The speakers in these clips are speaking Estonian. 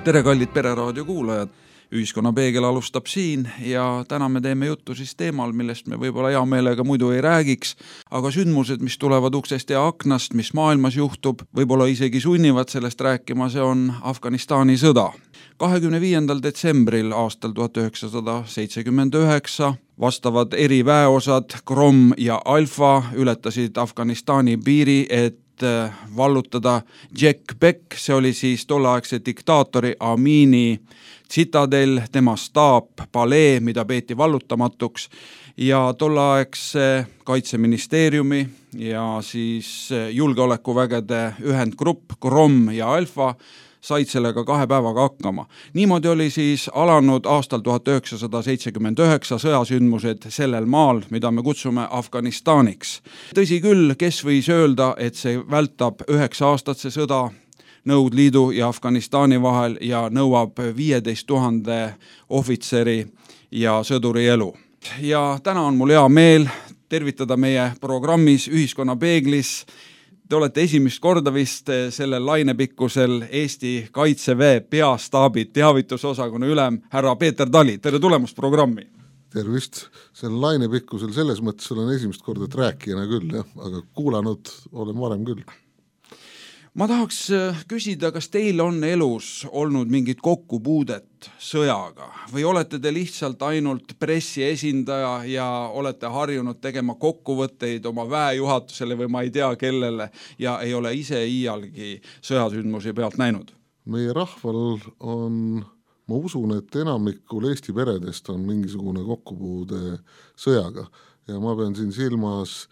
Tere, kallid Pereraadio kuulajad! Ühiskonnapeegel alustab siin ja täna me teeme juttu siis teemal, millest me võib-olla hea meelega muidu ei räägiks, aga sündmused, mis tulevad uksest ja aknast, mis maailmas juhtub, võib-olla isegi sunnivad sellest rääkima, see on Afganistani sõda. 25. detsembril aastal 1979 vastavad eriväeosad Grom ja Alfa ületasid Afganistani piiri, et vallutada Jack Beck, see oli siis tolleaegse diktaatori Amini tsitadel, tema staap, palee, mida peeti vallutamatuks ja tolleaegse kaitseministeeriumi ja siis julgeolekuvägede ühendgrupp Grom ja Alfa said sellega 2 päevaga hakkama. Niimoodi oli siis alanud aastal 1979 sõjasündmused sellel maal, mida me kutsume Afganistaniks. Tõsi küll, kes võis öelda, et see vältab 9 aastat see sõda Nõukogude Liidu ja Afganistani vahel ja nõuab 15 000 ohvitseri ja sõduri elu. Ja täna on mul hea meel tervitada meie programmis Ühiskonnapeeglis. Te olete esimest korda vist sellel lainepikkusel Eesti Kaitseväe peastaabi teavitusosakonna ülem härra Peeter Tali. Tere tulemast programmi! Tervist! Selle lainepikkusel selles mõttes olen esimest korda rääkijana küll, aga kuulanud olen varem küll. Ma tahaks küsida, kas teil on elus olnud mingit kokkupuudet sõjaga või olete te lihtsalt ainult pressiesindaja ja olete harjunud tegema kokkuvõtteid oma väejuhatusele või ma ei tea kellele ja ei ole ise iialgi sõjasündmusi pealt näinud? Meie rahval on, ma usun, et enamikul Eesti peredest on mingisugune kokkupuude sõjaga ja ma pean siin silmas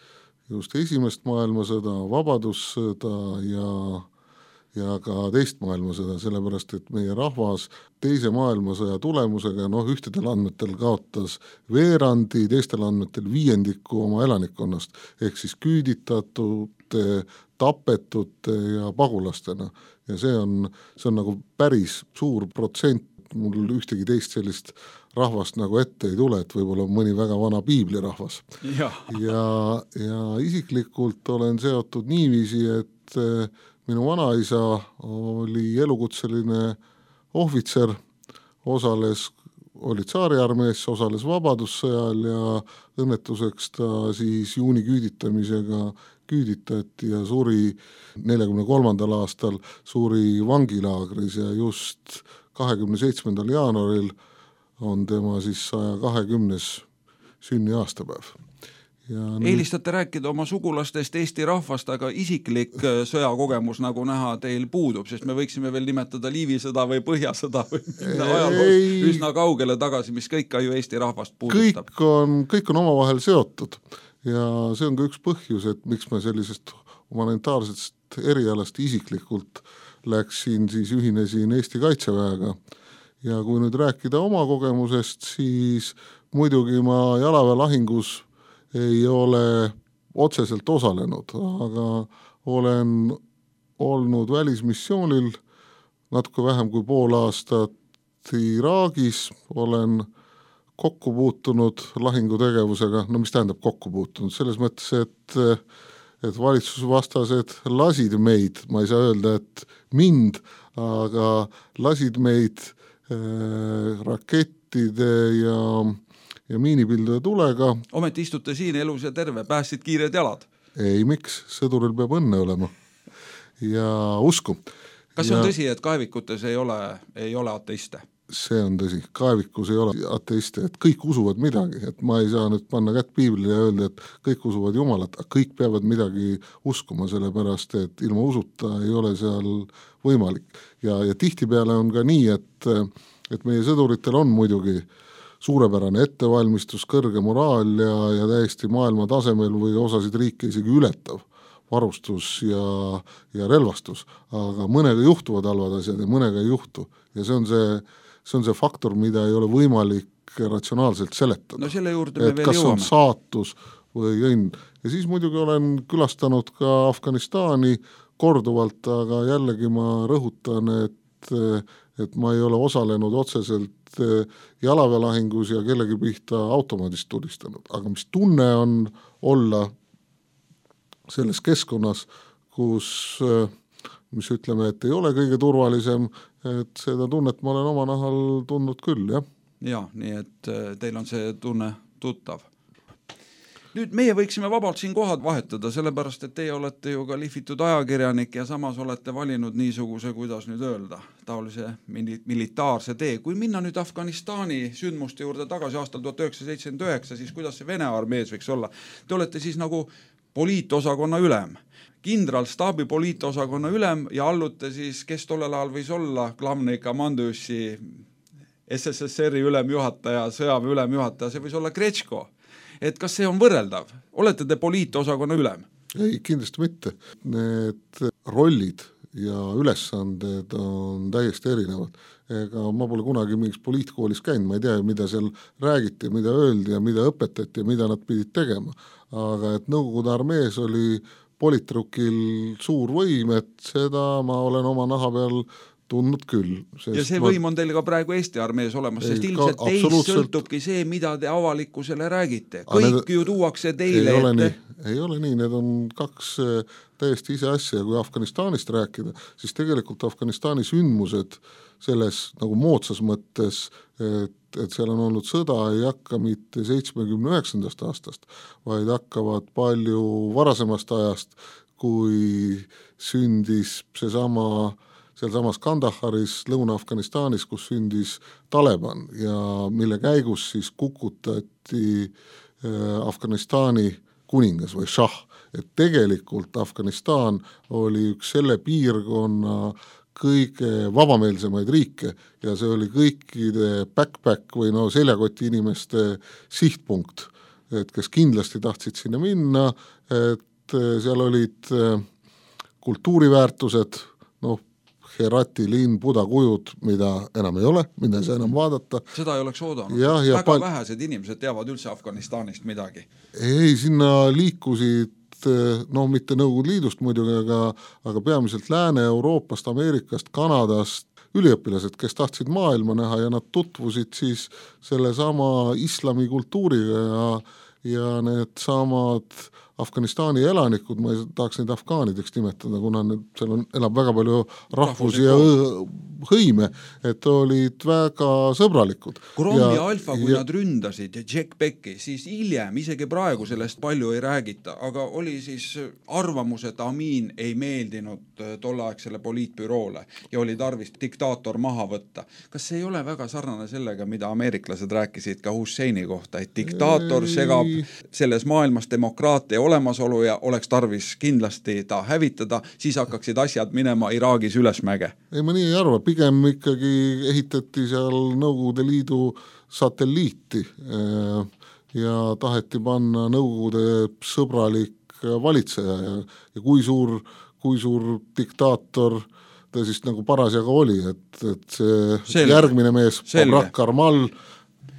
just esimest maailmasõda, vabadussõda ja ka teist maailmasõda, sellepärast et meie rahvas teise maailmasõja tulemusega ühtedel andmetel kaotas veerandi, teistel andmetel 5% oma elanikkonnast, ehk siis küüditatute, tapetute ja pagulastena. Ja see on nagu päris suur protsent, mul ühtegi teist sellist rahvast nagu ette ei tule, et võib-olla mõni väga vana piiblirahvas. Ja isiklikult olen seotud niiviisi, et minu vanaisa oli elukutseline ohvitser, oli tsaariarmees, osales vabadussõjal ja õnnetuseks ta siis juuni küüditamisega küüditati ja suri 43. aastal suri vangilaagris ja just 27. jaanuaril on tema siis 120. sünniaastapäev. Eelistate rääkida oma sugulastest Eesti rahvast, aga isiklik sõjakogemus nagu näha teil puudub, sest me võiksime veel nimetada Liivisõda või Põhjasõda või minna ajaloos üsna kaugele tagasi, mis kõik ka ju Eesti rahvast puudutab. Kõik on omavahel seotud ja see on ka üks põhjus, et miks me sellisest humanitaarsest erialast isiklikult ühinesin Eesti Kaitseväega. Ja kui nüüd rääkida oma kogemusest, siis muidugi ma jalaväelahingus ei ole otseselt osalenud, aga olen olnud välismissioonil natuke vähem kui pool aastat Iraagis, olen kokku puutunud lahingutegevusega, no mis tähendab kokku puutunud, selles mõttes, et valitsusvastased lasid meid, ma ei saa öelda, et mind, aga lasid meid rakettide ja miinipilduja tulega. Ometi istute siin elus ja terve, päästsid kiired jalad. Ei, miks? Sõduril peab õnne olema ja usku. Kas on tõsi, et kaevikutes ei ole ateiste? See on tõsi, kaevikus ei ole ateiste, et kõik usuvad midagi, et ma ei saa nüüd panna kätt piiblile ja öelda, et kõik usuvad Jumalat, aga kõik peavad midagi uskuma, sellepärast, et ilma usuta ei ole seal võimalik. Ja tihtipeale on ka nii, et meie sõduritel on muidugi suurepärane ettevalmistus, kõrge moraal ja täiesti maailma tasemel või osasid riike isegi ületav varustus ja relvastus, aga mõnega juhtuvad halvad asjad ja mõnega ei juhtu. Ja see on see faktor, mida ei ole võimalik ratsionaalselt seletada. No selle juurde me veel kas jõuame. On saatus või õnn. Ja siis muidugi olen külastanud ka Afganistani korduvalt, aga jällegi ma rõhutan, et ma ei ole osalenud otseselt jalaväelahingus ja kellegi pihta automaadist tulistanud. Aga mis tunne on olla selles keskkonnas, kus mis ütleme, et ei ole kõige turvalisem, et seda tunnet ma olen oma nahal tundnud küll, jah. Ja, nii et teil on see tunne tuttav. Nüüd meie võiksime vabalt siin kohad vahetada, sellepärast, et teie olete ju ka lihvitud ajakirjanik ja samas olete valinud niisuguse, kuidas nüüd öelda, taolise militaarse tee. Kui minna nüüd Afganistani sündmuste juurde tagasi aastal 1979, siis kuidas see Vene armees võiks olla? Te olete siis nagu poliitosakonna ülem. Kindralstaabi poliitosakonna ülem ja allute siis, kes tollel ajal võis olla Glavnõi komandujussi SSSR-i ülemjuhataja, sõjaväe ülemjuhataja, see võis olla Kretško. Et kas see on võrreldav? Olete te poliitosakonna ülem? Ei, kindlasti mitte. Need rollid ja ülesanded on täiesti erinevad. Ega ma pole kunagi mingis poliitkoolis käinud, ma ei tea, mida seal räägiti, mida öeldi ja mida õpetati ja mida nad pidid tegema. Aga et Nõukogude armees oli politrukil suur võim, et seda ma olen oma naha peal tundnud küll. Ja see võim on teil ka praegu Eesti armees olemas, sest ilmselt teist sõltubki see, mida te avalikkusele räägite. Kõik ju tuuakse teile ette. Ei ole nii, need on kaks täiesti ise asja. Kui Afganistanist rääkida, siis tegelikult Afganistani sündmused selles nagu moodsas mõttes, et seal on olnud sõda, ei hakka mitte 79. aastast, vaid hakkavad palju varasemast ajast, kui sündis sealsamas Kandaharis, Lõuna-Afganistanis, kus sündis Taliban ja mille käigus siis kukutati Afganistani kuningas või šah. Et tegelikult Afganistan oli üks selle piirkonna kõige vabameelsemaid riike ja see oli kõikide backpack või seljakoti inimeste sihtpunkt, et kes kindlasti tahtsid sinna minna, et seal olid kultuuriväärtused, Herati linn, Buda kujud, mida enam ei ole, mida ei saa enam vaadata. Seda ei oleks oodanud. Väga vähesed inimesed teavad üldse Afganistanist midagi. Ei, sinna liikusid mitte Nõukogude Liidust muidugi, aga peamiselt Lääne-Euroopast, Ameerikast, Kanadast üliõpilased, kes tahtsid maailma näha ja nad tutvusid siis selle sama islami kultuuriga ja need samad Afganistani elanikud, ma ei tahaks neid afgaanideks nimetada, kuna seal elab väga palju rahvusi ja hõime, et olid väga sõbralikud. Grom ja Alfa, kui nad ründasid ja Jack Becki, siis hiljem, isegi praegu sellest palju ei räägita, aga oli siis arvamus, et Amin ei meeldinud tolleaegsele poliitbüroole ja oli tarvis diktaator maha võtta. Kas see ei ole väga sarnane sellega, mida ameeriklased rääkisid ka Husseini kohta, et diktaator segab selles maailmas demokraatia olemasolu ja oleks tarvis kindlasti ta hävitada, siis hakkaksid asjad minema Iraagis ülesmäge? Ei, ma nii ei arva, pigem ikkagi ehitati seal Nõukogude Liidu satelliiti ja taheti panna Nõukogude sõbralik valitseja ja kui suur diktaator ta siis nagu parasjaga oli, et see järgmine mees, Babrak Karmal,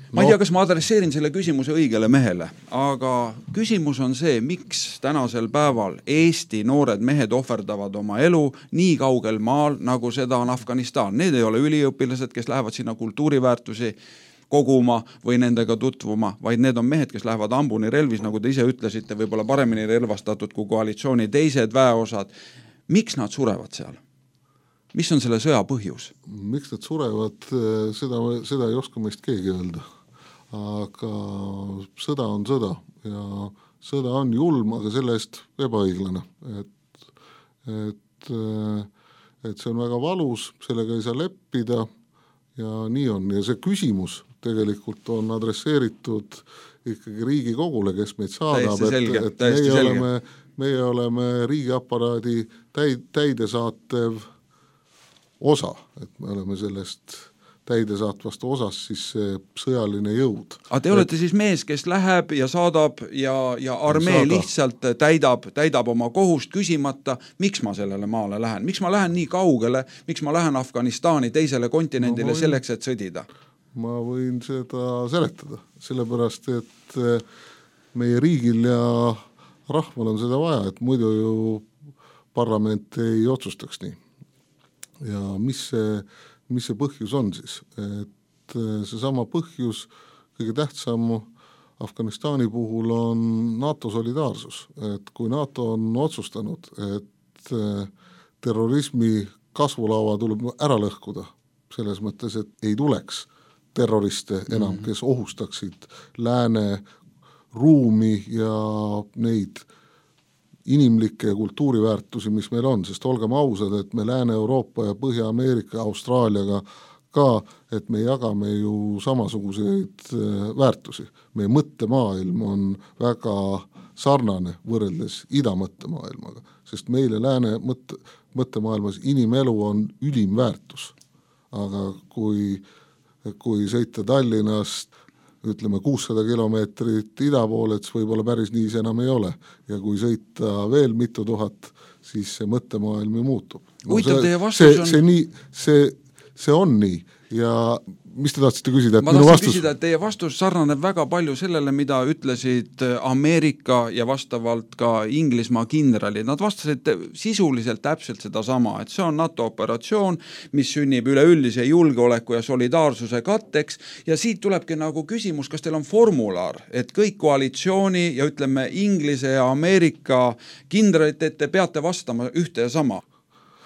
Ma ei tea, kas ma adresseerin selle küsimuse õigele mehele, aga küsimus on see, miks tänasel päeval Eesti noored mehed ohverdavad oma elu nii kaugel maal, nagu seda on Afganistan. Need ei ole üliõpilased, kes lähevad sinna kultuuriväärtusi koguma või nendega tutvuma, vaid need on mehed, kes lähevad hambuni relvis, nagu te ise ütlesite, võib-olla paremini relvastatud kui koalitsiooni teised väeosad. Miks nad surevad seal? Mis on selle sõja põhjus? Miks nad surevad, seda ei oska meist keegi öelda. Aga sõda on sõda ja sõda on julm, aga selle eest ebaõiglane. Et see on väga valus, sellega ei saa leppida ja nii on. Ja see küsimus tegelikult on adresseeritud ikkagi Riigikogule, kes meid saadab, et meie oleme riigiaparaadi täidesaatev osa, et me oleme sellest täidesaatvast osas siis see sõjaline jõud. Aga te olete siis mees, kes läheb ja saadab ja armee lihtsalt täidab oma kohust küsimata, miks ma sellele maale lähen? Miks ma lähen nii kaugele? Miks ma lähen Afganistani teisele kontinendile selleks, et sõdida? Ma võin seda seletada, sellepärast, et meie riigil ja rahval on seda vaja, et muidu ju parlament ei otsustaks nii. Ja mis see põhjus on siis? Et see sama põhjus, kõige tähtsam Afganistani puhul on NATO solidaarsus. Et kui NATO on otsustanud, et terrorismi kasvulaava tuleb ära lõhkuda, selles mõttes, et ei tuleks terroriste enam, kes ohustaksid lääne ruumi ja neid inimlikke ja kultuuriväärtusi, mis meil on, sest olgem ausad, et me Lääne-Euroopa ja Põhja-Ameerika, Austraaliaga ka, et me jagame ju samasuguseid väärtusi. Meie mõttemaailm on väga sarnane võrreldes idamõttemaailmaga, sest meile lääne mõttemaailmas inimelu on ülim väärtus. Aga kui sõita Tallinnast ütleme 600 kilomeetrit ida poole, et võib-olla päris nii see enam ei ole. Ja kui sõita veel mitu tuhat, siis see mõttemaailm muutub. No, see on nii. Ja mis te tahtsite küsida? Ma tahtsin küsida, et teie vastus sarnaneb väga palju sellele, mida ütlesid Ameerika ja vastavalt ka Inglismaa kindralid. Nad vastasid sisuliselt täpselt seda sama, et see on NATO operatsioon, mis sünnib üleüldise julgeoleku ja solidaarsuse katteks ja siit tulebki nagu küsimus, kas teil on formular, et kõik koalitsiooni ja ütleme Inglise ja Ameerika kindralid, et te peate vastama ühte ja sama.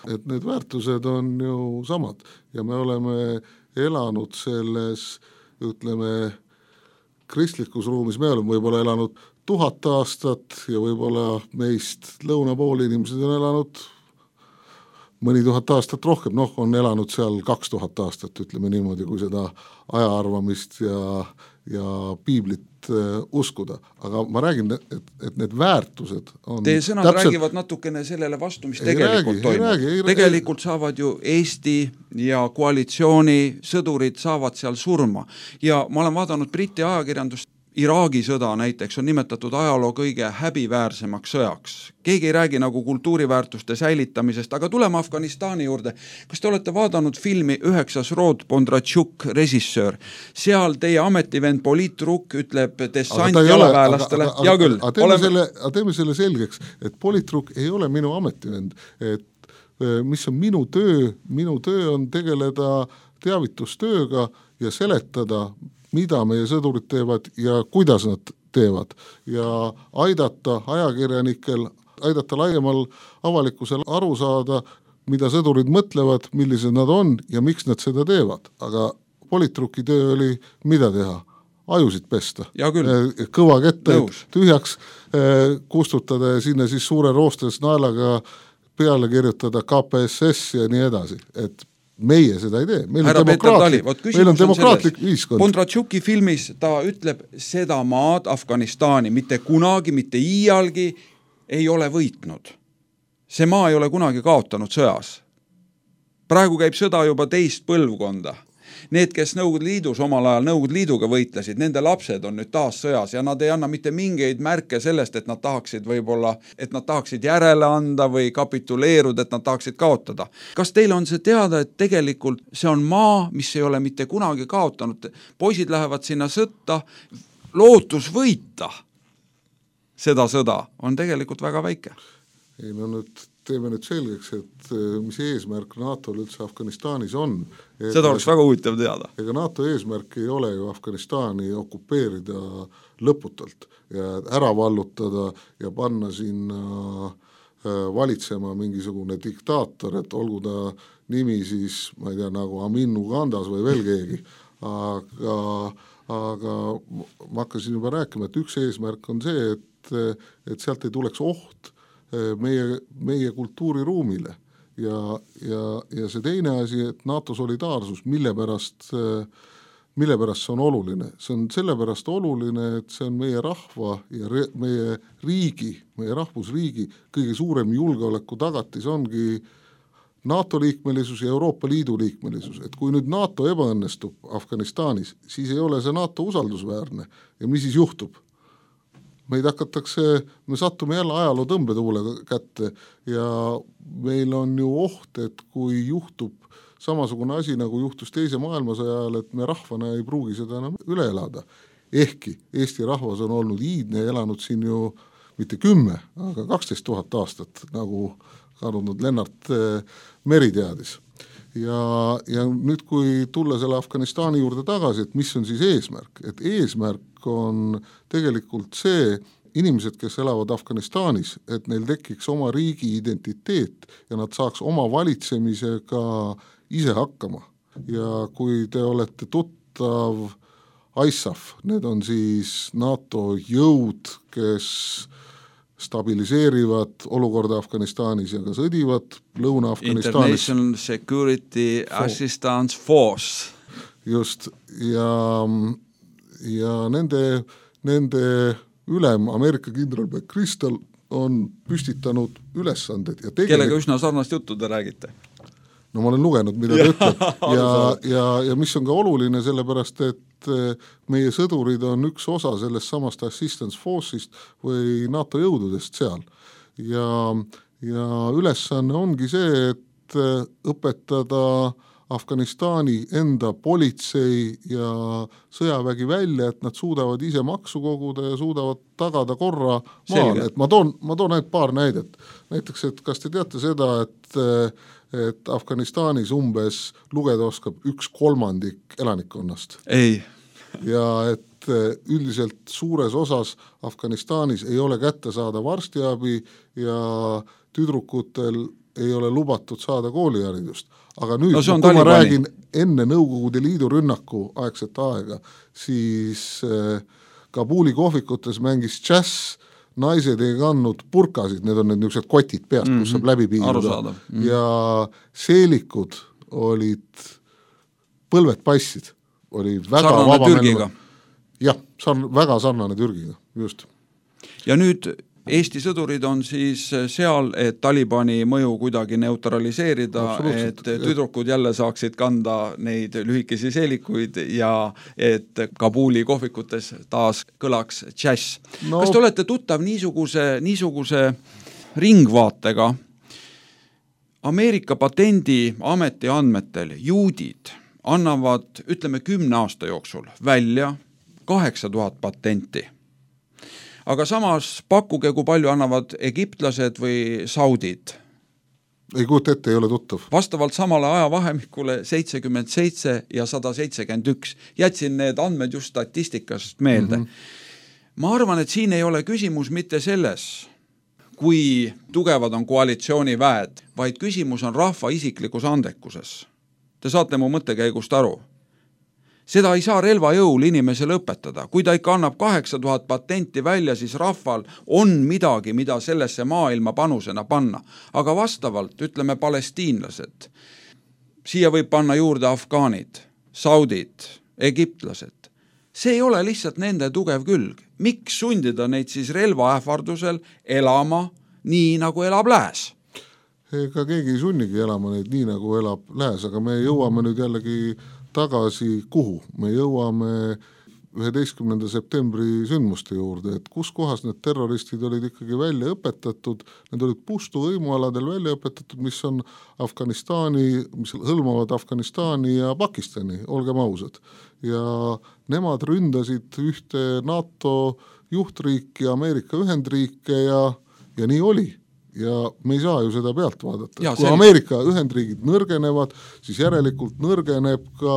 Et need väärtused on ju samad ja me oleme elanud selles, ütleme, kristlikus ruumis, me oleme võib-olla elanud 1000 aastat ja võib-olla meist lõunapool inimesed on elanud mõni 1000 aastat rohkem, on elanud seal 2000 aastat, ütleme niimoodi, kui seda ajaarvamist ja piiblit uskuda. Aga ma räägin, et need väärtused on teie sõnad räägivad natukene sellele vastu, mis tegelikult toimub. Tegelikult saavad ju Eesti ja koalitsiooni sõdurid saavad seal surma. Ja ma olen vaadanud Briti ajakirjandust, Iraagi sõda näiteks on nimetatud ajaloo kõige häbiväärsemaks sõjaks. Keegi ei räägi nagu kultuuriväärtuste säilitamisest, aga tuleme Afganistani juurde. Kas te olete vaadanud filmi 9. rood Bondarchuk, režissöör? Seal teie ametivend poliitrukk ütleb dessant jalaväelastele. Ja küll. Teeme selle selgeks, et poliitrukk ei ole minu ametivend. Et mis on minu töö on tegeleda teavitustööga ja seletada, mida meie sõdurid teevad ja kuidas nad teevad ja aidata ajakirjanikel, aidata laiemal avalikkusel aru saada, mida sõdurid mõtlevad, millised nad on ja miks nad seda teevad. Aga politruki töö oli mida teha? Ajusid pesta. Kõva kette tühjaks kustutada ja sinna siis suure roostes naelaga peale kirjutada KPSS ja nii edasi. Et meie seda ei tee. Meil on demokraatlik ühiskond. Bondarchuki filmis ta ütleb, seda maad Afganistani mitte kunagi, mitte iialgi ei ole võitnud. See maa ei ole kunagi kaotanud sõjas. Praegu käib sõda juba teist põlvkonda. Need, kes Nõukogude Liidus omal ajal Nõukogude Liiduga võitlesid, nende lapsed on nüüd taas sõjas ja nad ei anna mitte mingeid märke sellest, et nad tahaksid järele anda või kapituleeruda, et nad tahaksid kaotada. Kas teil on see teada, et tegelikult see on maa, mis ei ole mitte kunagi kaotanud? Poisid lähevad sinna sõtta, lootus võita seda sõda on tegelikult väga väike. ei no nüüd teeme nüüd selgeks, et mis eesmärk NATO-l üldse Afganistanis on. Seda oleks väga huvitav teada. Ega NATO eesmärk ei ole ju Afganistani okupeerida lõputult ja ära vallutada ja panna sinna valitsema mingisugune diktaator, et olgu ta nimi siis, ma ei tea, nagu Amin Ugandas või veel keegi, aga ma hakkasin juba rääkima, et üks eesmärk on see, et sealt ei tuleks oht meie kultuuriruumile ja see teine asi, et NATO solidaarsus, mille pärast see on oluline? See on sellepärast oluline, et see on meie rahva ja meie riigi, meie rahvusriigi kõige suurem julgeoleku tagatis ongi NATO liikmelisus ja Euroopa Liidu liikmelisus, et kui nüüd NATO ebaõnnestub Afganistanis, siis ei ole see NATO usaldusväärne ja mis siis juhtub? Meid me sattume jälle ajaloo tõmbetuule kätte ja meil on ju oht, et kui juhtub samasugune asi, nagu juhtus teise maailmasõja ajal, et me rahvana ei pruugi seda enam üle elada. Ehkki Eesti rahvas on olnud iidne ja elanud siin ju mitte 10, aga 12 000 aastat, nagu kadunud Lennart Meri teadis. Ja nüüd, kui tulla selle Afganistani juurde tagasi, et mis on siis eesmärk? Et eesmärk on tegelikult see, inimesed, kes elavad Afganistanis, et neil tekiks oma riigi identiteet ja nad saaks oma valitsemisega ise hakkama. Ja kui te olete tuttav ISAF, need on siis NATO jõud, kes stabiliseerivad olukorda Afganistanis ja ka sõdivad Lõuna-Afganistanis. International Security Assistance Force. Just, ja nende ülem, Ameerika kindral McChrystal on püstitanud ülesanded. Ja kellega üsna sarnast juttu te räägite? No ma olen lugenud, mida ta ütleb ja mis on ka oluline, sellepärast, et meie sõdurid on üks osa sellest samast assistance force'ist või NATO jõududest seal. Ja ülesanne ongi see, et õpetada Afganistani enda politsei ja sõjavägi välja, et nad suudavad ise maksu koguda ja suudavad tagada korra maal. Et ma toon ainult paar näidet. Näiteks, et kas te teate seda, et Afganistanis umbes lugeda oskab 1/3 elanikkonnast? Ei. Ja et üldiselt suures osas Afganistanis ei ole kättesaadav arstiabi ja tüdrukutel ei ole lubatud saada kooliharidust. Aga nüüd, kui ma räägin enne Nõukogude Liidu rünnaku aegset aega, siis Kabuli kohvikutes mängis džäss, naised ei kandnud purkasid, need on need niisugused kotid peast, kus saab läbi piiruda. Ja seelikud olid, põlved passid, oli väga sarnane Türgiga. Jah, väga sarnane Türgiga, just. Ja nüüd Eesti sõdurid on siis seal, et Talibani mõju kuidagi neutraliseerida, et tüdrukud jälle saaksid kanda neid lühikesi seelikuid ja et Kabuli kohvikutes taas kõlaks džäss. No. Kas te olete tuttav niisuguse ringvaatega? Ameerika patendiameti andmetel juudid annavad, ütleme 10 aasta jooksul välja 8000 patenti. Aga samas pakkuge, kui palju annavad egiptlased või saudid. Ei kujuta ette, ei ole tuttav. Vastavalt samale ajavahemikule 77 ja 171. Jätsin need andmed just statistikast meelde. Ma arvan, et siin ei ole küsimus mitte selles, kui tugevad on koalitsiooniväed, vaid küsimus on rahva isiklikus andekuses. Te saate mu mõttekäigust aru. Seda ei saa relvajõul inimesele õpetada. Kui ta ikka annab 8000 patenti välja, siis rahval on midagi, mida sellesse maailma panusena panna. Aga vastavalt, ütleme palestiinlased, siia võib panna juurde afgaanid, saudid, egiptlased. See ei ole lihtsalt nende tugev külg. Miks sundida neid siis relvaähvardusel elama nii, nagu elab lääs? Ega keegi ei sunnigi elama neid nii, nagu elab lääs, aga me jõuame nüüd jällegi tagasi kuhu? Me jõuame 11. septembri sündmuste juurde, et kus kohas need terroristid olid ikkagi välja õpetatud, need olid pustu võimualadel välja õpetatud, mis on Afganistani, mis hõlmavad Afganistani ja Pakistani, olgem ausad. Ja nemad ründasid ühte NATO juhtriiki, Ameerika Ühendriike ja nii oli. ja me ei saa ju seda pealt vaadata. Ja, kui Ameerika Ühendriigid nõrgenevad, siis järelikult nõrgeneb ka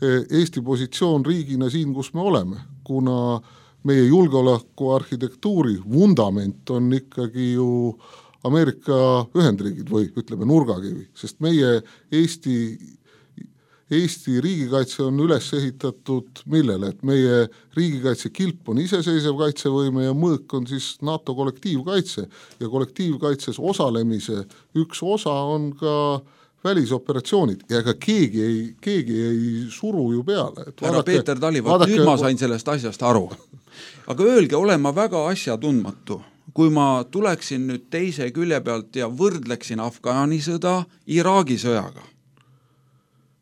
Eesti positsioon riigina siin, kus me oleme, kuna meie julgeolekuarhitektuuri vundament on ikkagi ju Ameerika Ühendriigid või ütleme nurgakivi, sest meie Eesti riigikaitse on üles ehitatud millele, et meie riigikaitse kilp on iseseisev kaitsevõime ja mõõk on siis NATO kollektiivkaitse ja kollektiivkaitses osalemise üks osa on ka välisoperatsioonid ja ega keegi ei suru ju peale. Härra Peeter Tali, nüüd ma sain sellest asjast aru. Aga öelge, olen ma väga asjatundmatu, kui ma tuleksin nüüd teise külje pealt ja võrdleksin Afgaani sõda Iraagi sõjaga.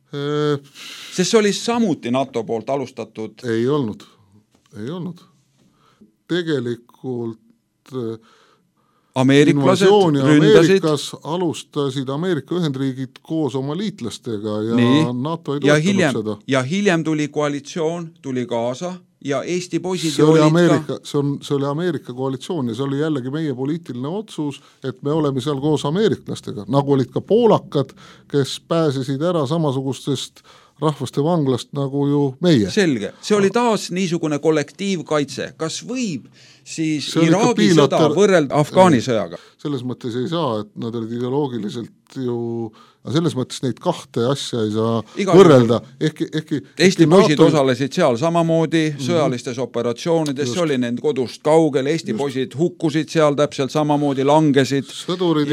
Sest see oli samuti NATO poolt alustatud. Ei olnud. Tegelikult ameeriklased ründasid. Ameerikas alustasid Ameerika Ühendriigid koos oma liitlastega ja NATO ei toetanud seda. Ja hiljem tuli koalitsioon, tuli kaasa ja Eesti poisid see oli Ameerika koalitsioon ja see oli jällegi meie poliitiline otsus, et me oleme seal koos ameeriklastega, nagu olid ka poolakad, kes pääsesid ära samasugustest rahvaste vanglast nagu ju meie. Selge, see oli taas niisugune kollektiivkaitse. Kas võib siis Iraagi sõda võrrelda Afgaani sõjaga? Selles mõttes ei saa, et nad olid ideoloogiliselt ju, selles mõttes neid kahte asja ei saa võrrelda. Eesti poisid osalesid seal samamoodi sõjalistes operatsioonides, see oli nende kodust kaugel, Eesti poisid hukkusid seal täpselt samamoodi, langesid. Sõdurid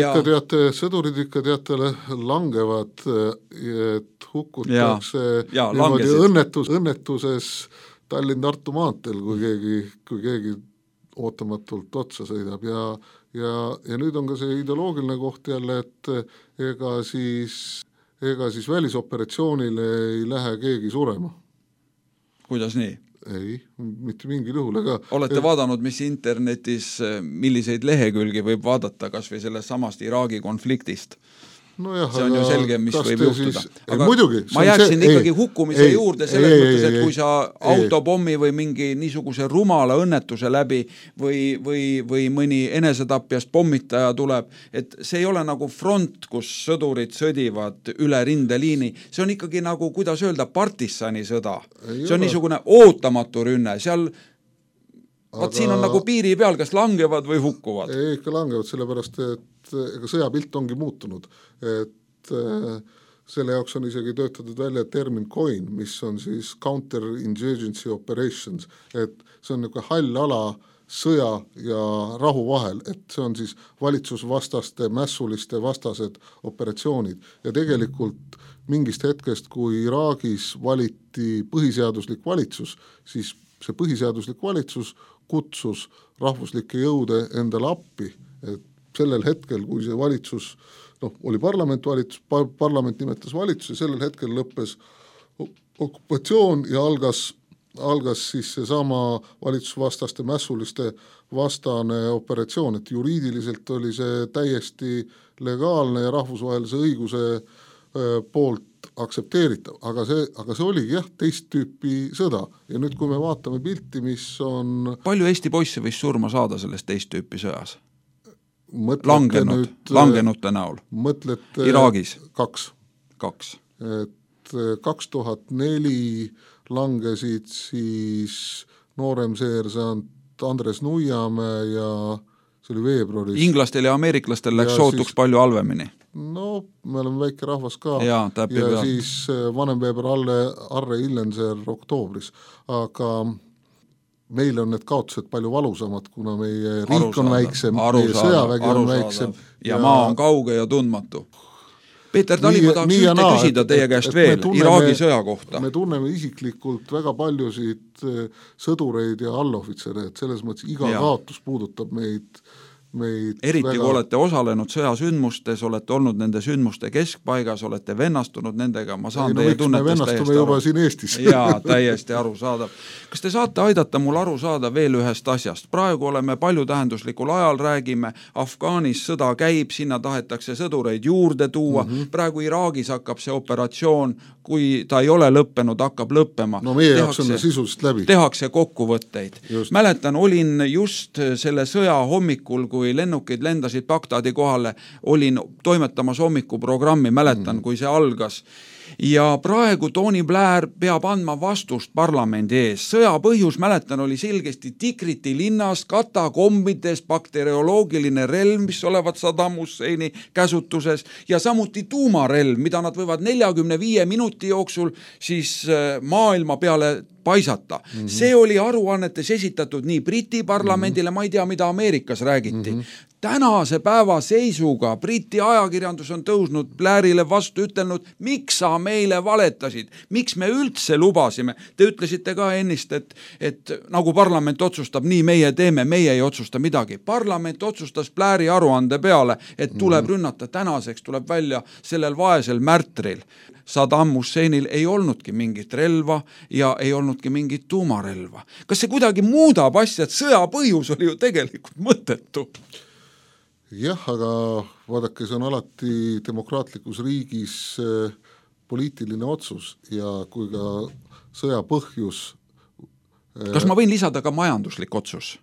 ikka teatele langevad, et hukkutakse õnnetuses Tallinn-Tartu maanteel, kui keegi ootamatult otsa sõidab ja nüüd on ka see ideoloogiline koht jälle, et ega siis välisoperatsioonile ei lähe keegi surema. Kuidas nii? Ei, mitte mingil juhul. Olete vaadanud, mis internetis, milliseid lehekülgi võib vaadata kas või sellest samast Iraagi konfliktist? No jah, see on ju selge, mis võib juhtuda. Aga ma jääksin ikkagi hukkumise juurde selles mõttes, et kui sa autopommi või mingi niisuguse rumala õnnetuse läbi või mõni enesetapjast pommitaja tuleb, et see ei ole nagu front, kus sõdurid sõdivad üle rindeliini, see on ikkagi nagu, kuidas öelda, partisani sõda. See on niisugune ootamatu rünne, seal siin on nagu piiri peal, kas langevad või hukkuvad? Ei, ikka langevad, sellepärast, et ega sõjapilt ongi muutunud, et selle jaoks on isegi töötatud välja termin COIN, mis on siis Counter-Insurgency Operations, et see on niisugune hall ala sõja ja rahu vahel, et see on siis valitsusvastaste, mässuliste vastased operatsioonid ja tegelikult mingist hetkest, kui Iraagis valiti põhiseaduslik valitsus, siis see põhiseaduslik valitsus kutsus rahvuslikke jõude endale appi, et sellel hetkel, kui see valitsus, oli parlament nimetas valitsus ja sellel hetkel lõppes okupatsioon ja algas siis seesama valitsusvastaste mässuliste vastane operatsioon, et juriidiliselt oli see täiesti legaalne ja rahvusvahelise õiguse poolt aktsepteeritav, aga see oligi teist tüüpi sõda ja nüüd kui me vaatame pilti, mis on... Palju Eesti poisse võis surma saada sellest teist tüüpi sõjas? Langenute näol. Mõtlete Iraagis? Kaks. Et 2004 langesid siis noorem seersant Andres Nuiamäe ja see oli veebruaris. Inglastel ja ameeriklastel läks sootuks palju halvemini. No, me oleme väike rahvas ka ja siis vanemveeber Arre Illenser oktoobris, aga meil on need kaotused palju valusamad, kuna meie riik on väiksem, meie sõjavägi on väiksem. Ja maa on kauge ja tundmatu. Peeter Tali, ma tahaks ühte küsida teie käest veel Iraagi sõja kohta. Me tunneme isiklikult väga paljusid sõdureid ja allohvitsere, et selles mõttes iga kaotus puudutab meid eriti kui olete osalenud sõjasündmustes, olete olnud nende sündmuste keskpaigas, olete vennastunud nendega, ma saan teie tunnetest täiesti aru. Siin Eestis. Jaa, täiesti arusaadav. Kas te saate aidata mul aru saada veel ühest asjast? Praegu oleme paljutähenduslikul ajal, räägime, Afgaanis sõda käib, sinna tahetakse sõdureid juurde tuua, praegu Iraagis hakkab see operatsioon, kui ta ei ole lõppenud, hakkab lõppema. No meie jaoks on sisuliselt läbi. Tehakse kokkuvõtteid. Mäletan, olin just selle sõja hommikul, kui kui lennukid lendasid Bagdadi kohale, olin toimetamas hommikuprogrammi, mäletan, kui see algas. Ja praegu Tony Blair peab andma vastust parlamendi ees. Sõja põhjus, mäletan, oli selgesti Tikriti linnas, katakombides bakterioloogiline relv, mis olevat Saddam Husseini käsutuses, ja samuti tuumarelv, mida nad võivad 45 minuti jooksul siis maailma peale paisata. See oli aruannetes esitatud nii Briti parlamendile, ma ei tea, mida Ameerikas räägiti. Tänase päeva seisuga Briti ajakirjandus on tõusnud Blairile vastu, ütelnud, miks sa meile valetasid, miks me üldse lubasime. Te ütlesite ka ennist, et nagu parlament otsustab, nii meie teeme, meie ei otsusta midagi. Parlament otsustas Blairi aruande peale, et tuleb rünnata, tänaseks tuleb välja sellel vaesel märtril. Saddam Husseinil ei olnudki mingit relva ja ei olnudki mingit tuumarelva. Kas see kuidagi muudab asja, et sõja põhjus oli ju tegelikult mõttetu? Jah, aga vaadake, see on alati demokraatlikus riigis poliitiline otsus ja kui ka sõja põhjus... Kas ma võin lisada ka majanduslik otsus?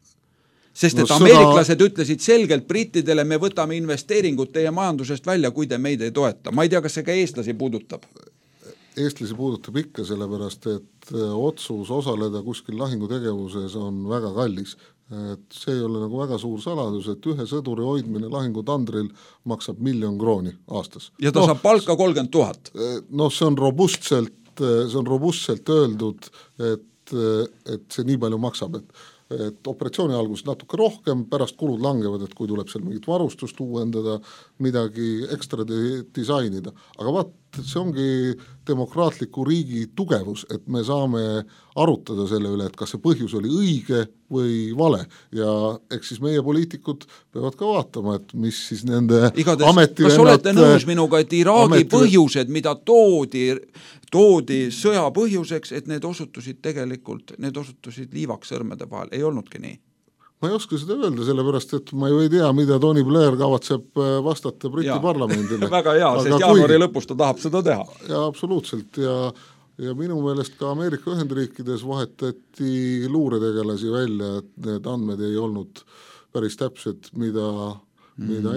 Sest et ameeriklased ütlesid selgelt brittidele, me võtame investeeringud teie majandusest välja, kui te meid ei toeta. Ma ei tea, kas see ka eestlasi puudutab? Eestlasi puudutab ikka, sellepärast, et otsus osaleda kuskil lahingutegevuses on väga kallis. Et see ei ole nagu väga suur saladus, et ühe sõduri hoidmine lahingutandril maksab 1 000 000 krooni aastas. Ja ta saab palka 30 000. No see on robustselt öeldud, et see nii palju maksab, et operatsiooni algus natuke rohkem, pärast kulud langevad, et kui tuleb seal mingit varustust uuendada, midagi ekstra disainida. Aga vaat, see ongi demokraatliku riigi tugevus, et me saame arutada selle üle, et kas see põhjus oli õige või vale. Ja eks siis meie poliitikud peavad ka vaatama, et mis siis nende ametivennad... Kas olete nõus minuga, et Iraagi põhjused, mida toodi sõja põhjuseks, et need osutusid liivaks sõrmede vahel, ei olnudki nii? Ma ei oska seda öelda, sellepärast, et ma ju ei tea, mida Tony Blair kavatseb vastata Briti parlamendile. Väga hea, sest jaanuari lõpus ta tahab seda teha. Ja absoluutselt, ja minu meelest ka Ameerika Ühendriikides vahetati luuretegelasi välja, et need andmed ei olnud päris täpsed, mida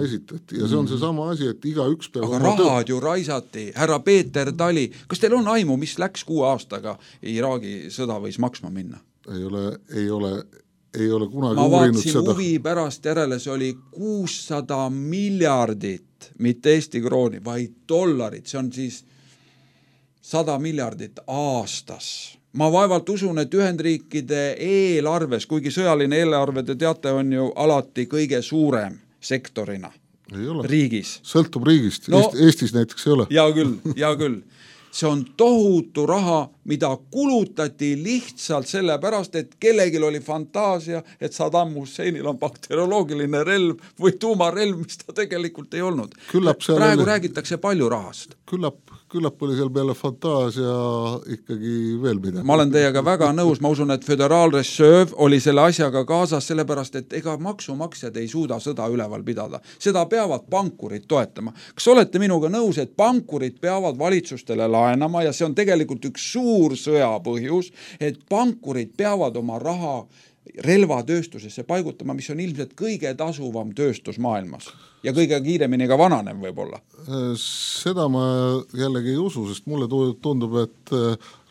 esitati. Ja see on see sama asi, et iga üks peab... Aga rahad ju raisati, härra Peeter Tali. Kas teil on aimu, mis läks 6 aastaga Iraagi sõda võis maksma minna? Ei ole kunagi uurinud seda. Ma vaatasin huvi pärast järele, see oli 600 miljardit, mitte Eesti krooni, vaid dollarit, see on siis 100 miljardit aastas. Ma vaevalt usun, et Ühendriikide eelarves, kuigi sõjaline eelarve, te teate, on ju alati kõige suurem sektorina riigis. Sõltub riigist, Eestis näiteks ei ole. Ja küll. See on tohutu raha, mida kulutati lihtsalt sellepärast, et kellelgi oli fantaasia, et Saddam Husseinil on bakterioloogiline relv või tuumarelv, mis ta tegelikult ei olnud. Praegu räägitakse palju rahast. Küllap oli seal peale fantaasia ikkagi veel midagi. Ma olen teiega väga nõus, ma usun, et Föderaalreserv oli selle asjaga kaasas sellepärast, et ega maksumaksjad ei suuda sõda üleval pidada. Seda peavad pankurid toetama. Kas olete minuga nõus, et pankurid peavad valitsustele laenama ja see on tegelikult üks suur sõja põhjus, et pankurid peavad oma raha relvatööstusesse paigutama, mis on ilmselt kõige tasuvam tööstus maailmas ja kõige kiiremini ka vananev võib-olla. Seda ma jällegi ei usu, sest mulle tundub, et